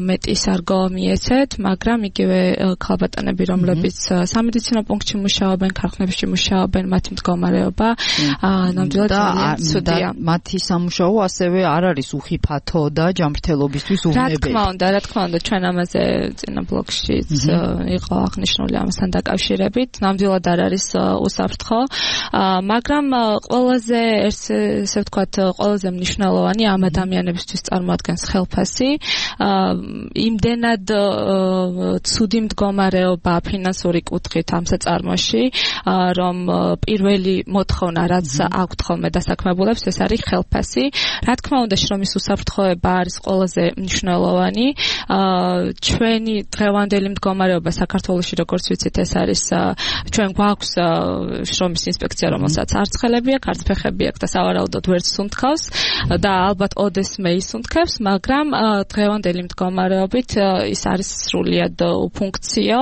მეტის არგო მიეცეთ, მაგრამ იგივე ქალბატონები, რომლებიც სამედიცინო პუნქტში მუშაობენ, ქარხნებში მუშაობენ, მათი მდგომარეობა ნამდვილად ძალიან ცუდია. მათი სამუშაო ასევე არ არის უხიფათო და ჯანმრთელობისთვის უვნებელი. რა თქმა უნდა, ჩვენ ამაზე წინა ბლოგშიც იყო აღნიშნული ამასთან დაკავშირებით, ნამდვილად არ არის უსაფრთხო, მაგრამ ყველაზე ესე ვთქვათ, ყველაზე მნიშვნელოვანი ამ ადამიანებისთვის წარმოადგენს ხელფასი. იმდენად ცუდი მდგომარეობა ფინანსური კუთხით ამ საწარმოში, რომ პირველი მოთხოვნა, რაც აქვთ ხოლმე დასაქმებულებს, ეს არის ხელფასი. რა თქმა უნდა, შრომის უსაფრთხოება არის ყველაზე მნიშვნელოვანი. ჩვენი დღევანდელი მდგომარეობა საქართველოში, როგორც ვიცით, ეს არის ჩვენ გვაქვს შრომის ინსპექცია, რომელსაც არც ხელები აქვს, არც ფეხები აქვს და სავარაუდოდ ვერც სუნთქავს და ალბათ ოდესმე ისუნთქებს, მაგრამ დღევანდელი მდგომარეობით ის არის სრულიად უფუნქციო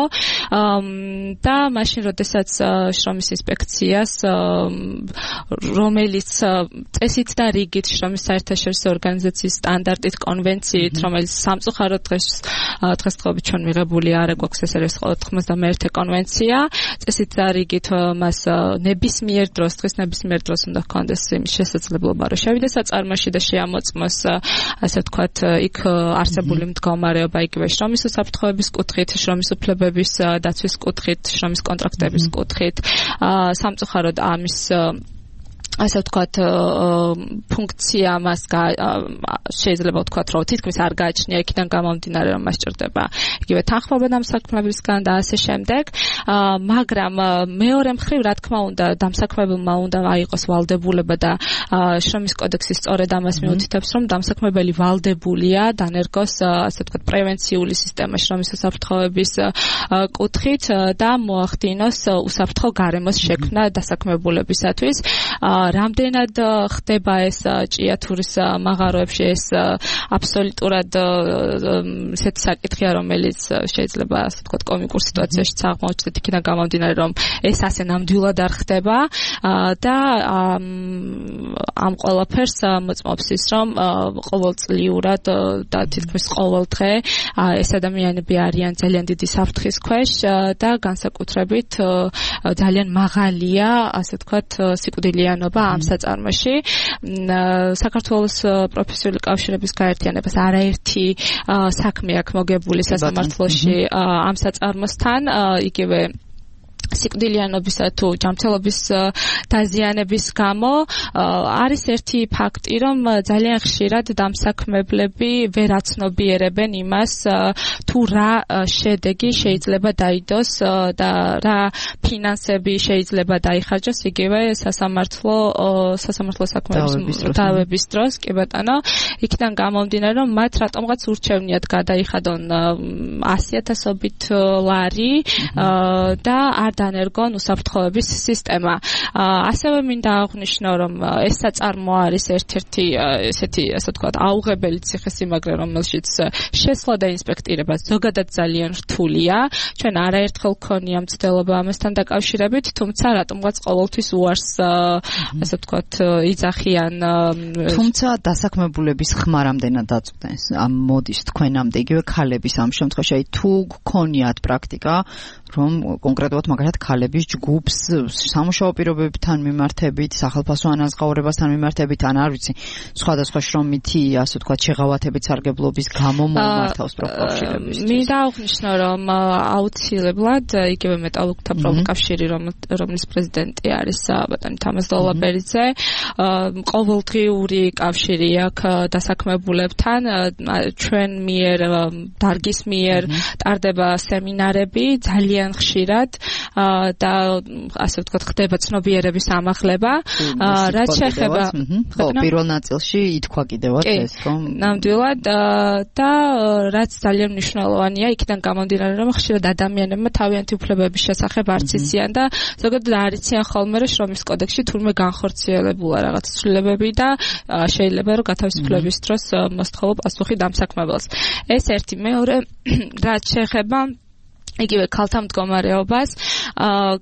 და მაშინ, როდესაც შრომის ინსპექციას, რომელიც წესით და რიგით შრომის საერთაშორისო ორგანიზაციის სტანდარტით, კონვენციით, რომელიც სამწუხაროდ დღესდღეობით ჩვენ მიღებული არ გვაქვს, ეს არის 91 კონვენცია, წესით და რიგით მას ნებისმიერ დროს, დღეს ნებისმიერ დროს უნდა ჰქონდეს იმის შესაძლებლობა, რომ შევიდეს საწარმოში და შეამოწმოს, ასე ვთქვათ, იქ არსებული მდგომარეობა, იგივე შრომის უსაფრთხოების კუთხით, შრომის უფლებების დაცვის კუთხით, შრომის კონტრაქტების კუთხით. სამწუხაროდ ამის ასე ვთქვათ, ფუნქცია მას შეიძლება ვთქვათ, რომ თითქმის არ გააჩნია იქიდან გამომდინარე, რომ მას ჭირდება იგივე თანხმობა დამსაქმებისგან და ასე შემდეგ. მაგრამ მეორე მხრივ, რა თქმა უნდა, დამსაქმებელმა უნდა აიღოს ვალდებულება და შრომის კოდექსი სწორედ ამას მიუთითებს, რომ დამსაქმებელი ვალდებულია დანერგოს, ასე ვთქვათ, პრევენციული სისტემა შრომის უსაფრთხოების კუთხით და მოახდინოს უსაფრთხო გარემოს შექმნა დასაქმებულებისათვის. რამდენად ხდება ეს ჭიათურის მაღაროებში, ეს აბსოლუტურად ესეთი საკითხია, რომელიც შეიძლება ასე ვთქვათ კომიკურ სიტუაციაში აღმოჩნდეთ იქიდან გამომდინარე, რომ ეს ასე ნამდვილად არ ხდება და ამ ყველაფერს მოწმობს ის, რომ ყოველწლიურად და თითქმის ყოველ დღე ეს ადამიანები არიან ძალიან დიდი საფრთხის ქვეშ და განსაკუთრებით ძალიან მაღალია, ასე ვთქვათ, სიკვდილიანობა ამ საწარმოში. საქართველოს პროფესიული კავშირების გაერთიანებას არაერთი საქმე აქვს მოგებული სასამართლოში ამ საწარმოსთან, იგივე სიკვდილიანობისა თუ ჯანმრთელობის დაზიანების გამო არის ერთი ფაქტი, რომ ძალიან ხშირად დამსაქმებლები ვერ აცნობიერებენ იმას, თუ რა შედეგი შეიძლება დაიდოს და რა ფინანსები შეიძლება დაიხარჯოს იგივე სასამართლო საქმეების დავების დროს, კი ბატონო, იქიდან გამომდინარე, რომ მათ რატომღაც ურჩევნიათ გადაიხადონ 100,000-ობით ლარი და არ დანერგონ უსაფრთხოების სისტემა. ასევე მინდა აღვნიშნო, რომ ეს საწარმო არის ერთ-ერთი ესეთი, ასე ვთქვათ, აუღებელი ციხესიმაგრე, რომელშიც შესვლა და ინსპექტირება ზოგადად ძალიან რთულია. ჩვენ არაერთხელ გქონია მცდელობა ამასთან დაკავშირებით, თუმცა რატომღაც ყოველთვის უარს, ასე ვთქვათ, იძახიან. თუმცა დასაქმებულების ხმა რამდენად დაწვდენს ამ მოდის თქვენამდე, იგივე ქალების ამ შემთხვევაში, აი თუ გქონიათ პრაქტიკა, რომ კონკრეტულად მაგალითად ქალების ჯგუფს სამუშაო პირობებთან მიმართებით, სახელმწიფო ანაზღაურებასთან მიმართებით, ან არ ვიცი, სხვადასხვა შრომითი, ასე ვთქვათ, შეღავათებით სარგებლობის გამო მომართავს პროფკავშირების. მინდა აღვნიშნო, რომ აუცილებლად იგივე მეტალურგთა პროფკავშირი, რომლის პრეზიდენტი არის ბატონი თამაზ დოლაბერიძე, ყოველდღიური კავშირი აქვს დასაქმებულებთან, ჩვენ მიერ დარგის მიერ ტარდება სემინარები ძალიან ხშირად და ასე ვთქვათ, ხდება ცნობიერების ამაღლება. რაც შეეხება პირველ ნაწილში ითქვა კიდევაც ეს, რომ ნამდვილად და რაც ძალიან მნიშვნელოვანია, იქიდან გამომდინარე, რომ ხშირად ადამიანებმა თავიანთი უფლებების შესახებ არც იციან და ზოგადად არ იციან ხოლმე, რომ შრომის კოდექსში თურმე განხორციელებულა რაღაც ცვლილებები და შეიძლება რომ გათავისუფლების დროს მოსთხოვო პასუხი დამსაქმებელს. ეს ერთი. მეორე, რაც შეეხება იგივე ქალთა მდგომარეობას.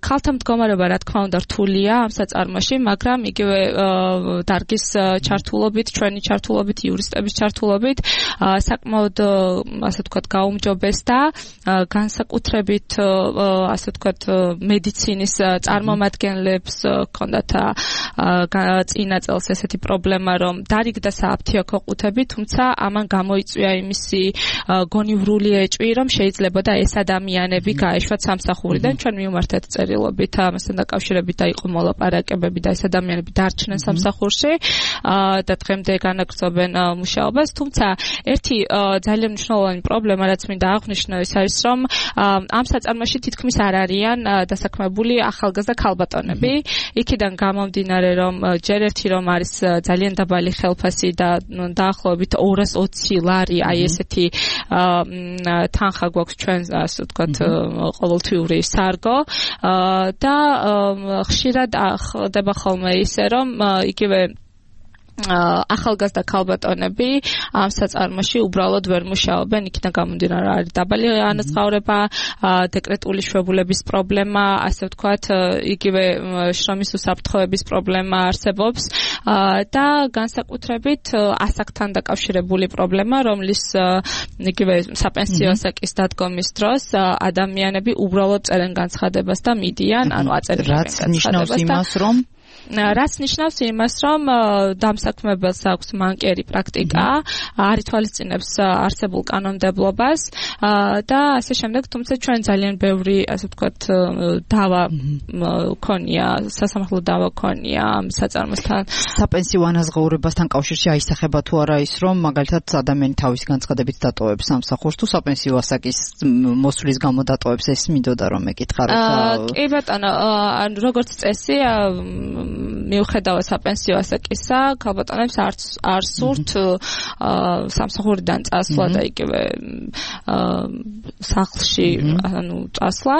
ქალთა მდგომარეობა, რა თქმა უნდა, რთულია ამ საწარმოში, მაგრამ იგივე დარგის ჩართულობით, ჩვენი ჩართულობით, იურისტების ჩართულობით საკმაოდ, ასე ვთქვათ, გაუმჯობესდა განსაკუთრებით, ასე ვთქვათ, მედიცინის წარმომადგენლებს ჰქონდათ წინა წელს ესეთი პრობლემა, რომ დარიგდა სააფთიაქო ყუთები, თუმცა ამან გამოიწვია იმისი გონივრული ეჭვი, რომ შეიძლებოდა ეს ადამიანები გაეშვათ სამსახურიდან. ჩვენ მივმართეთ წერილობით ამასთან დაკავშირებით და იყო მოლაპარაკებები და ეს ადამიანები დარჩნენ სამსახურში და დღემდე განაგრძობენ მუშაობას. თუმცა ერთი ძალიან მნიშვნელოვანი პრობლემა, რაც მინდა აღვნიშნო, ის არის, რომ ამ საწარმოში თითქმის არ არიან დასაქმებული ახალგაზრდა ქალბატონები. იქიდან გამომდინარე, რომ ჯერ ერთი რომ არის ძალიან დაბალი ხელფასი და დაახლოებით 220 ლარი, აი ესეთი თანხა გვაქვს ჩვენ, ასე ვთქვათ, ყოველთვიური სარგო და ხშირად ხდება ხოლმე ისე, რომ იგივე ახალგაზრდა ქალბატონები ამ საწარმოში უბრალოდ ვერ მუშაობენ, იქიდან გამომდინარე არის დაბალი ანაზღაურება, დეკრეტული შვებულების პრობლემა, ასე ვთქვათ, იგივე შრომის უსაფრთხოების პრობლემა არსებობს და განსაკუთრებით ასაკთან დაკავშირებული პრობლემა, რომლის იგივე საპენსიო ასაკის დადგომის დროს ადამიანები უბრალოდ წერენ განცხადებას და მიდიან, ანუ აწერენ განცხადებას. რაც ნიშნავს იმას, რომ რაც ნიშნავს იმას, რომ დამსაქმებელს აქვს მანკიერი პრაქტიკა, არ ითვალისწინებს არსებულ კანონმდებლობას და ასე შემდეგ, თუმცა ჩვენ ძალიან ბევრი, ასე ვთქვათ, დავა ქონია, სასამართლო დავა ქონია ამ საწარმოსთან. საპენსიო ანაზღაურებასთან კავშირში აისახება თუ არა ის, რომ მაგალითად ადამიანი თავისი განცხადებით დატოვებს სამსახურს თუ საპენსიო ასაკის მოსვლის გამო დატოვებს, ეს მინდოდა რომ ეკითხაროთ. კი ბატონო, როგორც წესი, მიუხედავად საპენსიო ასაკისა, ქალბატონებს არ სურთ სამსახურიდან წასვლა და იგივე სახლში წასვლა.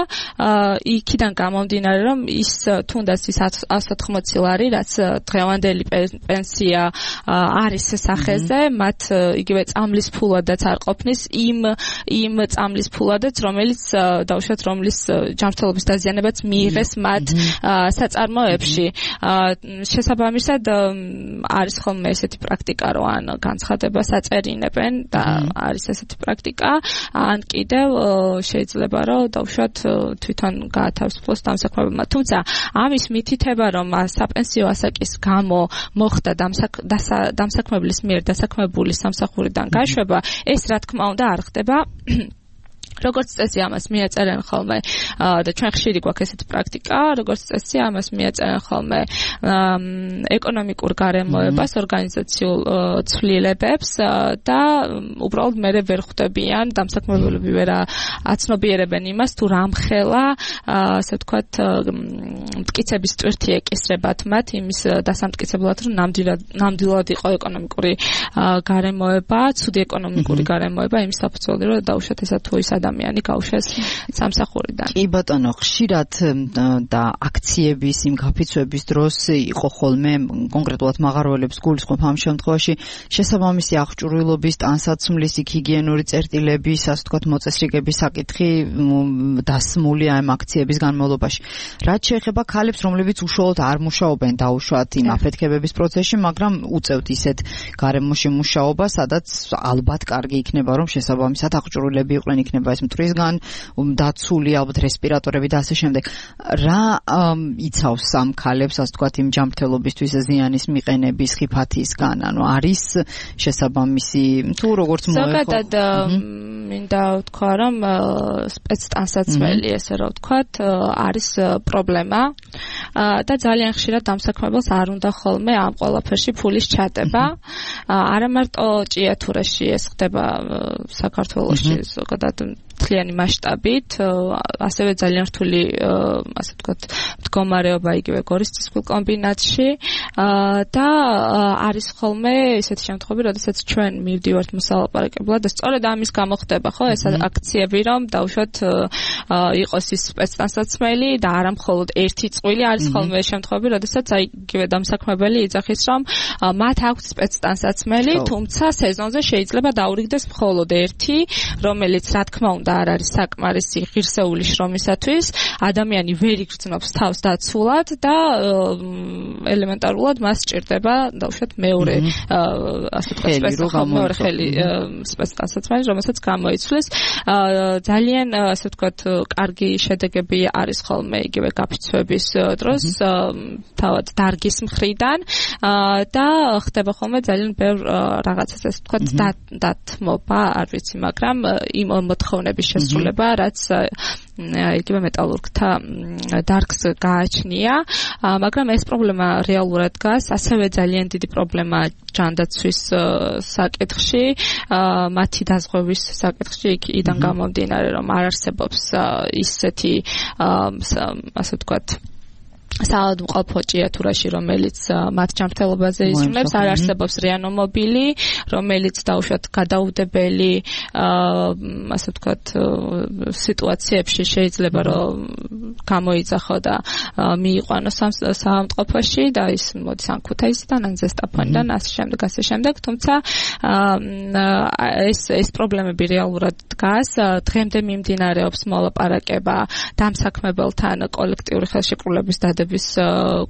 იქიდან გამომდინარე, რომ ის თუნდაც ის 180 ლარი, რაც დღევანდელი პენსია არის სახეზე, მათ იგივე წამლის ფულადაც არ ყოფნის იმ წამლის ფულადაც, რომელიც დაუშვათ რომლის ჯანმრთელობის დაზიანებაც მიიღეს მათ საწარმოებში. შესაბამისად არის ხოლმე ესეთი პრაქტიკა, რომ ან განცხადებას აწერინებენ და არის ესეთი პრაქტიკა, ან კიდევ შეიძლება რომ დაუშვათ თვითონ გაათავისუფლოს დამსაქმებელმა. თუმცა ამის მითითება, რომ საპენსიო ასაკის გამო მოხდა დამსაქმებლის მიერ დასაქმებული სამსახურიდან გაშვება, ეს რა თქმა უნდა არ ხდება. როგორც წესი ამას მიაწერენ ხოლმე და ჩვენ ხშირი გვაქვს ესეთი პრაქტიკა, როგორც წესი ამას მიაწერენ ხოლმე ეკონომიკურ გარემოებას, ორგანიზაციულ ცვლილებებს და უბრალოდ მე ვერ ხვდებიან დამსაქმებელები ვერ აცნობიერებენ იმას თუ რამხელა ასე ვთქვათ მტკიცების ტვირთი ეკისრებათ მათ იმის დასამტკიცებლად, რომ ნამდვილად იყო ეკონომიკური გარემოება, ცუდი ეკონომიკური გარემოება იმის საფუძველი, რომ დაუშვათ ესა თუ ის ადამიანი გავუშვეს სამსახურიდან. კი ბატონო, ხშირად და აქციების იმ გაფიცვების დროს იყო ხოლმე კონკრეტულად მაღაროელებს გულისხმობ ამ შემთხვევაში შესაბამისი აღჭურვილობის, ტანსაცმლის, ჰიგიენური წერტილების, ასე ვთქვათ, მოწესრიგების საკითხი დასმული ამ აქციების განმავლობაში. რაც შეეხება ქალებს, რომლებიც უშუალოდ არ მუშაობენ დაუშვათ იმ აფეთქებების პროცესში, მაგრამ უწევთ ისეთ გარემოში მუშაობა, სადაც ალბათ კარგი იქნება, რომ შესაბამისად აღჭურვილები იყვნენ, იქნება ეს მტვრისგან დაცული, ალბათ რესპირატორები და ასე შემდეგ. რა იცავს ამ ქალებს, ასე ვთქვათ, იმ ჯანმრთელობისთვის ზიანის მიყენების ხიფათისგან? ანუ არის შესაბამისი თუ როგორც მოეხო? ზოგადად მინდა ვთქვა, რომ სპეცტანსაცმელი, ესე რომ ვთქვათ, არის პრობლემა და ძალიან ხშირად დამსაქმებელს არ უნდა ხოლმე ამ ყველაფერში ფულის ჩადება. არა მარტო ჭიათურაში ეს ხდება საქართველოში ზოგადად მთლიანი მასშტაბით, ასევე ძალიან რთული, ასე ვთქვათ, მდგომარეობა იგივე გორის ცისფულ კომბინატში და არის ხოლმე ესეთი შემთხვევები, როდესაც ჩვენ მივდივართ მოსალაპარაკებლად და სწორედ ამის გამო ხდება, ხო, ეს აქციები, რომ დაუშვათ იყოს ის სპეცტანსაცმელი და არა მხოლოდ ერთი წყვილი, არის ხოლმე შემთხვევები, როდესაც აი იგივე დამსაქმებელი იძახის, რომ მათ აქვს სპეცტანსაცმელი, თუმცა სეზონზე შეიძლება დაურიგდეს მხოლოდ ერთი, რომელიც რა თქმა უნდა არ არის საკმარისი ღირსეული შრომისათვის, ადამიანი ვერ იგრძნობს თავს დაცულად და ელემენტარულად მას სჭირდება დაუშვათ მეორე ასე ვთქვათ მეორე ხელი სპეცტანსაცმელი, რომელსაც გამოიცვლის. ძალიან ასე ვთქვათ კარგი შედეგები არის ხოლმე იგივე გაფიცვების დროს თავად დარგის მხრიდან და ხდება ხოლმე ძალიან ბევრ რაღაცას ასე ვთქვათ დათმობა, არ ვიცი, მაგრამ იმ მოთხოვნების შესრულება, რაც იგივე მეტალურგთა დარგს გააჩნია, მაგრამ ეს პრობლემა რეალურად დგას, ასევე ძალიან დიდი პრობლემა ჯანდაცვის საკითხში, მათი დაზღვევის საკითხში, იქიდან გამომდინარე, რომ არ არსებობს ისეთი ასე ვთქვათ საავადმყოფო ჭიათურაში, რომელიც მათ ჯანმრთელობაზე ისრულებს, არ არსებობს რეანიმობილი, რომელიც დაუშვათ გადაუდებელი ასე ვთქვათ სიტუაციებში შეიძლება რომ გამოიძახო და მიიყვანოს საავადმყოფოში და ის მოდის ან ქუთაისიდან, ან ზესტაფონიდან, ასე შემდეგ, თუმცა ეს პრობლემები რეალურად დგას. დღემდე მიმდინარეობს მოლაპარაკება დამსაქმებელთან კოლექტიური ხელშეკრულების დადების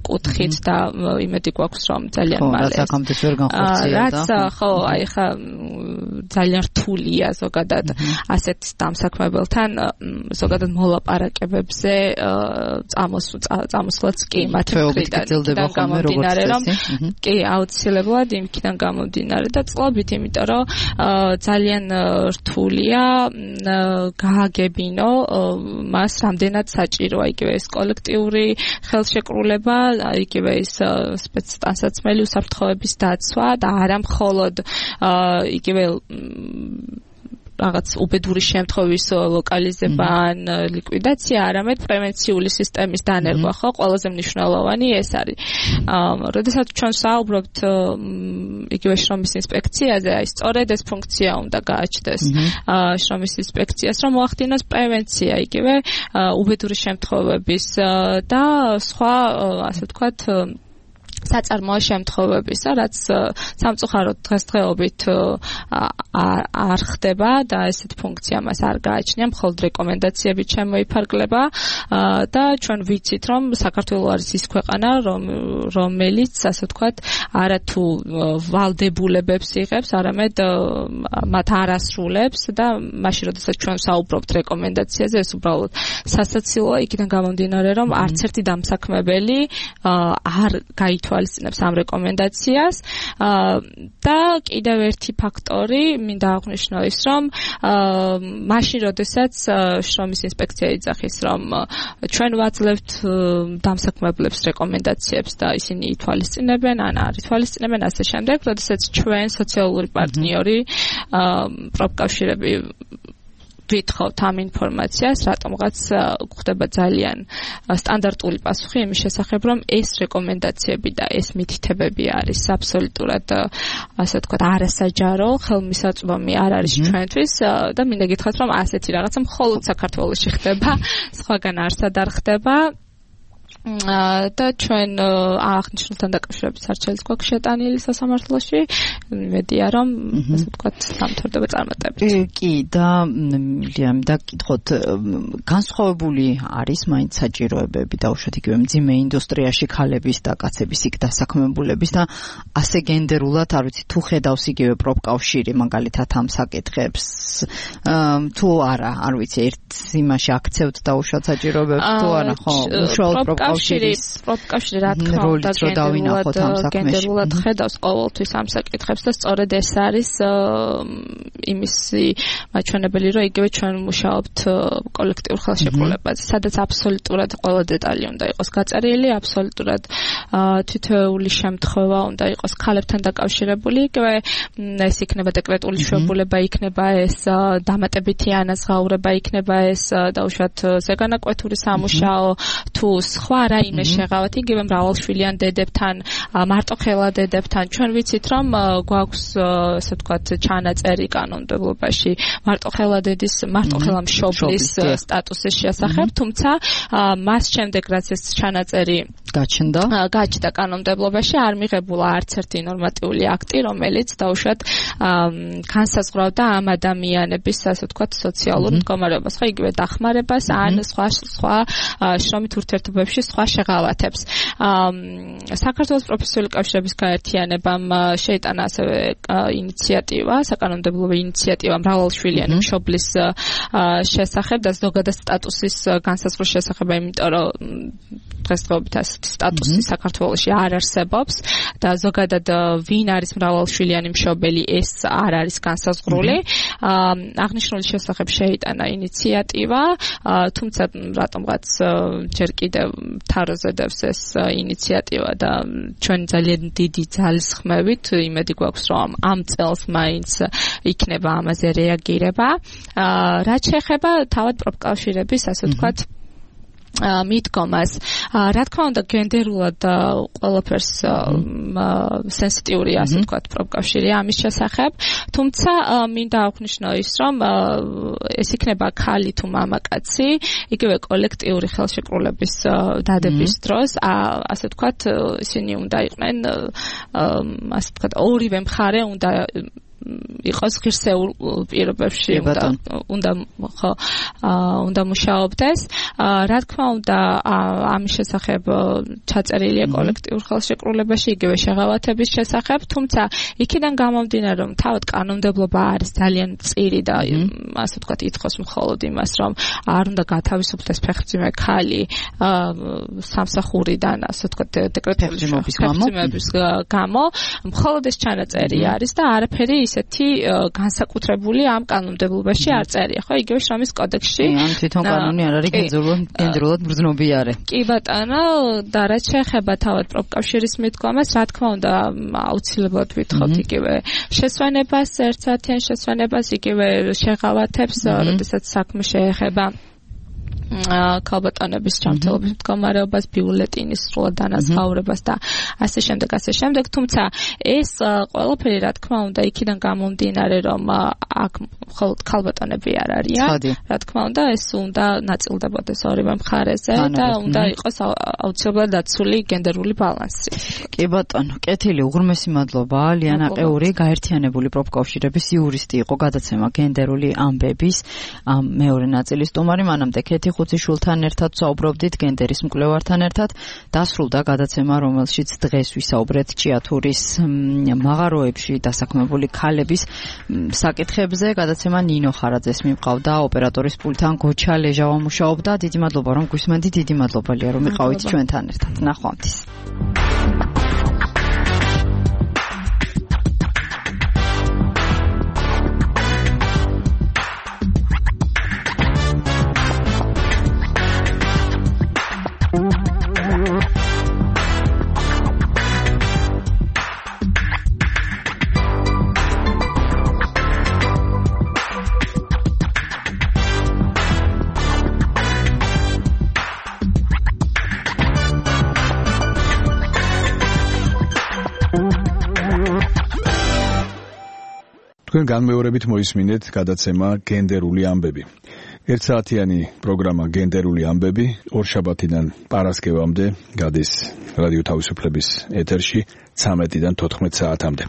კუთხით და იმედი გვაქვს, რომ ძალიან მალე რაც აქამდე ვერ განხორციელდა. რაც ხო, აი ხა ძალიან რთულია ზოგადად ასეთ დამსაქმებელთან ზოგადად მოლაპარაკებებზე წამოსვლაც კი მათ მხრიდან გამომდინარე რომ კი აუცილებლად იმიდან გამომდინარე და წყობით იმიტომ რომ ძალიან რთულია გააგებინო მას რამდენად საჭიროა იგივე ეს კოლექტიური ხელშეკრულება იგივე ეს სპეცტანსაცმელი უსაფრთხოების დაცვა და არა მხოლოდ იგივე რაღაც უბედური შემთხვევის ლოკალიზება ან ლიკვიდაცია, არამედ პრევენციული სისტემის დანერგვა, ხო, ყველაზე მნიშვნელოვანი ეს არის. როდესაც ჩვენ საუბრობთ იგივე შრომის ინსპექციაზე, აი სწორედ ეს ფუნქცია უნდა გააჩნდეს შრომის ინსპექციას, რომ მოახდინოს პრევენცია იგივე უბედური შემთხვევების და სხვა, ასე ვთქვათ, საწარმოო შემთხვევებისა, რაც სამწუხაროდ დღესდღეობით არ ხდება და ესეთ ფუნქცია მას არ გააჩნია, მხოლოდ რეკომენდაციებით შემოიფარგლება და ჩვენ ვიცით, რომ საქართველო არის ის ქვეყანა, რომელიც, ასე ვთქვათ, არა თუ ვალდებულებებს იღებს, არამედ მათ არ ასრულებს და მაშინ, როდესაც ჩვენ საუბრობთ რეკომენდაციაზე, ეს უბრალოდ სასაცილოა იქიდან გამომდინარე, რომ არც ერთი დამსაქმებელი არ გაითვალისწინებს ამ რეკომენდაციას და კიდევ ერთი ფაქტორი მინდა აღვნიშნო ის, რომ მაშინ, როდესაც შრომის ინსპექცია იძახის, რომ ჩვენ ვაძლევთ დამსაქმებლებს რეკომენდაციებს და ისინი ითვალისწინებენ, ან არ ითვალისწინებენ, ასე შემდეგ, როდესაც ჩვენ სოციალური პარტნიორი პროფკავშირები ვითხოვთ ამ ინფორმაციას, რატომღაც გვხდება ძალიან სტანდარტული პასუხი იმის შესახებ, რომ ეს რეკომენდაციები და ეს მითითებები არის აბსოლუტურად, ასე ვთქვათ, არასაჯარო, ხელმისაწვდომი არ არის ჩვენთვის და მინდა გითხრათ, რომ ასეთი რაღაცა მხოლოდ საქართველოში ხდება, სხვაგან არსად არ ხდება. და ჩვენ აღნიშნულთან დაკავშირებით არჩევის გვაქვს შეტანილი სასამართლოში. მედია რომ ასე ვთქვათ, დამთავრდება წარმატებით. კი, და ლიამ დაკითხოთ, განსხვავებული არის მაინც საჭიროებები დაუშვათ იგივე მძიმე ინდუსტრიაში ქალების და კაცების იქ დასაქმებულების და ასე გენდერულად, არ ვიცი, თუ ხედავს იგივე პროფკავშირი მაგალითად ამ საკითხებს, თუ არა, არ ვიცი, ერთ იმაში აქცევთ დაუშვათ საჭიროებებს, თუ არა, ხო, უშუალოდ პროფკავშირი რა თქმა უნდა გენდერულად ხედავს ყოველთვის ამ საკითხებს და სწორედ ეს არის იმისი მაჩვენებელი, რომ იგივე ჩვენ მუშაობთ კოლექტიურ ხელშეკრულებაზე, სადაც აბსოლუტურად ყველა დეტალი უნდა იყოს გაწერილი, აბსოლუტურად თითოეული შემთხვევა უნდა იყოს ქალებთან დაკავშირებული, იგივე ეს იქნება დეკრეტული შვებულება, იქნება ეს დამატებითი ანაზღაურება, იქნება ეს დაუშვათ ზეგანაკვეთური სამუშაო, თუ სხვა რაიმე შეღავათ, იგივე მრავალშვილიან დედებთან, მარტოხელა დედებთან. ჩვენ ვიცით, რომ გვაქვს, ასე ვთქვათ, ჩანაწერი კანონმდებლობაში მარტოხელა დედის, მარტოხელა მშობლის სტატუსის შესახებ, თუმცა მას შემდეგ, რაც ეს ჩანაწერი გაჩნდა კანონმდებლობაში, არ მიღებულა არც ერთი ნორმატიული აქტი, რომელიც დაუშვათ განსაზღვრავდა ამ ადამიანების, ასე ვთქვათ, სოციალურ მდგომარეობას, ხო, იგივე დახმარებას ან სხვა შრომით ურთიერთობებში სხვა შეღავათებს. საქართველოს პროფესიული კავშირების გაერთიანებამ შეიტანა ასევე ინიციატივა, საკანონმდებლო ინიციატივა მრავალშვილიანი მშობლის შესახებ და ზოგადად სტატუსის განსაზღვრის შესახებ, იმიტომ რომ დღესდღეობით ასეთი სტატუსი საქართველოში არ არსებობს და ზოგადად ვინ არის მრავალშვილიანი მშობელი, ეს არ არის განსაზღვრული. აღნიშნული შესახებ შეიტანა ინიციატივა, თუმცა რატომღაც ჯერ კიდევ თაროზე დევს ეს ინიციატივა და ჩვენ ძალიან დიდი ძალისხმევით იმედი გვაქვს, რომ ამ წელს მაინც იქნება ამაზე რეაგირება. რაც შეეხება თავად პროფკავშირების, ასე ვთქვათ, მიდგომას. რა თქმა უნდა, გენდერულად ყველაფერს სენსიტიური, ასე ვთქვათ, პროფკავშირი ამის შესახებ, თუმცა მინდა აღვნიშნო ის, რომ ეს იქნება ქალი თუ მამაკაცი, იგივე კოლექტიური ხელშეკრულების დადების დროს, ასე ვთქვათ, ისინი უნდა იყვნენ, ასე ვთქვათ, ორივე მხარე უნდა იყოს ღირსეულ პირობებში უნდა მუშაობდეს. Რა თქმა უნდა, ამის შესახებ ჩაწერილია კოლექტიურ ხელშეკრულებაში, იგივე შეღავათების შესახებ, თუმცა იქიდან გამომდინარე, რომ თავად კანონმდებლობა არის ძალიან მწირი და ასე ვთქვათ, ითხოვს მხოლოდ იმას, რომ არ უნდა გათავისუფლდეს ფეხმძიმე ქალი სამსახურიდან, ასე ვთქვათ, დეკრეტული ფეხმძიმების გამო, მხოლოდ ეს ჩანაწერი არის და არაფერი ისეთი განსაკუთრებული ამ კანონმდებლობაში არ წერია, ხო? იგივე შრომის კოდექსში. ან თვითონ კანონი არ არის გენდერულად მგრძნობიარე. კი ბატონო, და რაც შეეხება თავად პროფკავშირის მიდგომას, რა თქმა უნდა, აუცილებლად ვითხოვთ იგივე შესვენებას, ერთსაათიან შესვენებას, იგივე შეღავათებს, როდესაც საქმე შეეხება ქალბატონების ჯანმრთელობის მდგომარეობას, ბიულეტინის სრულად დანაზღაურებას და ასე შემდეგ, თუმცა ეს ყველაფერი რა თქმა უნდა იქიდან გამომდინარე, რომ აქ მხოლოდ ქალბატონები არ არიან, რა თქმა უნდა ეს უნდა ნაწილდებოდეს ორივე მხარეზე და უნდა იყოს აუცილებლად დაცული გენდერული ბალანსი. კი ბატონო, კეთილი, უღრმესი მადლობა. ლიანა ყეური, გაერთიანებული პროფკავშირების იურისტი იყო, გადაცემა გენდერული ამბების მეორე ნაწილის სტუმარი. მანამდე ქეთი ხუციშვილთან ერთად საუბრობდით გენდერის მკვლევართან ერთად. დასრულდა გადაცემა, რომელშიც დღეს ვისაუბრეთ ჭიათურის მაღაროებში დასაქმებული ქალების საკითხებზე. გადაცემა ნინო ხარაძეს მიმყავდა, ოპერატორის პულტთან გოჩა ლეჟავა მუშაობდა. დიდი მადლობა, რომ გვისმენთ, დიდი მადლობია, რომ იყავით ჩვენთან ერთად. ნახვამდის. თქვენ განმეორებით მოისმინეთ გადაცემა გენდერული ამბები. ერთსაათიანი პროგრამა გენდერული ამბები ორშაბათიდან პარასკევამდე გადის რადიო თავისუფლების ეთერში 13-დან 14 საათამდე.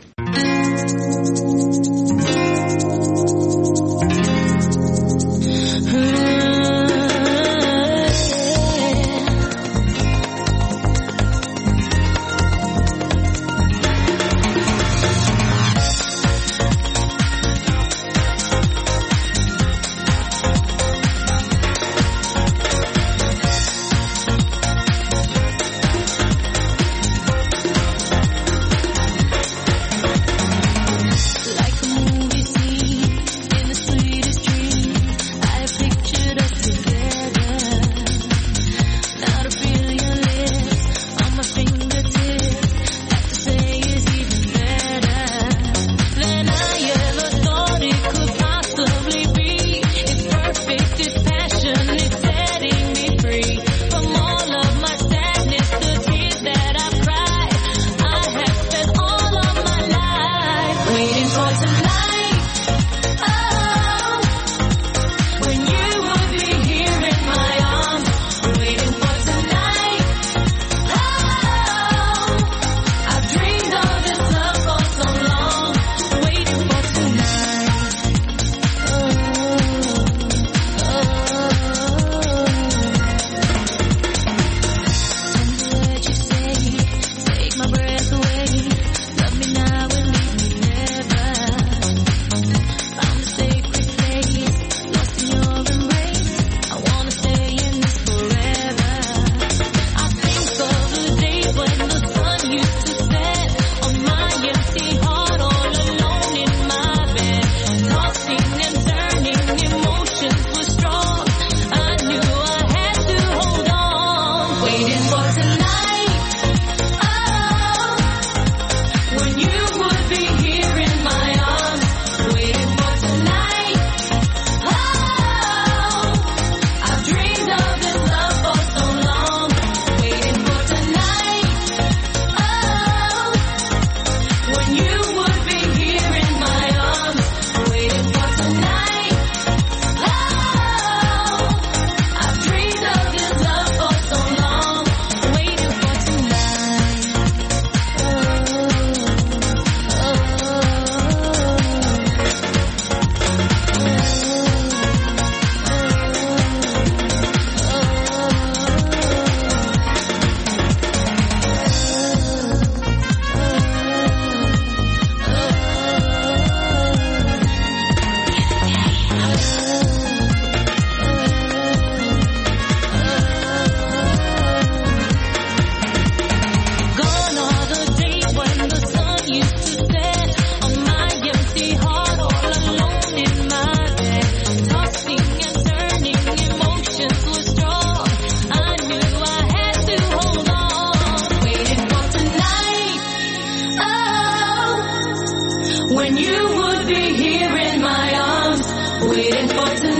be here in my arms, waiting for tonight.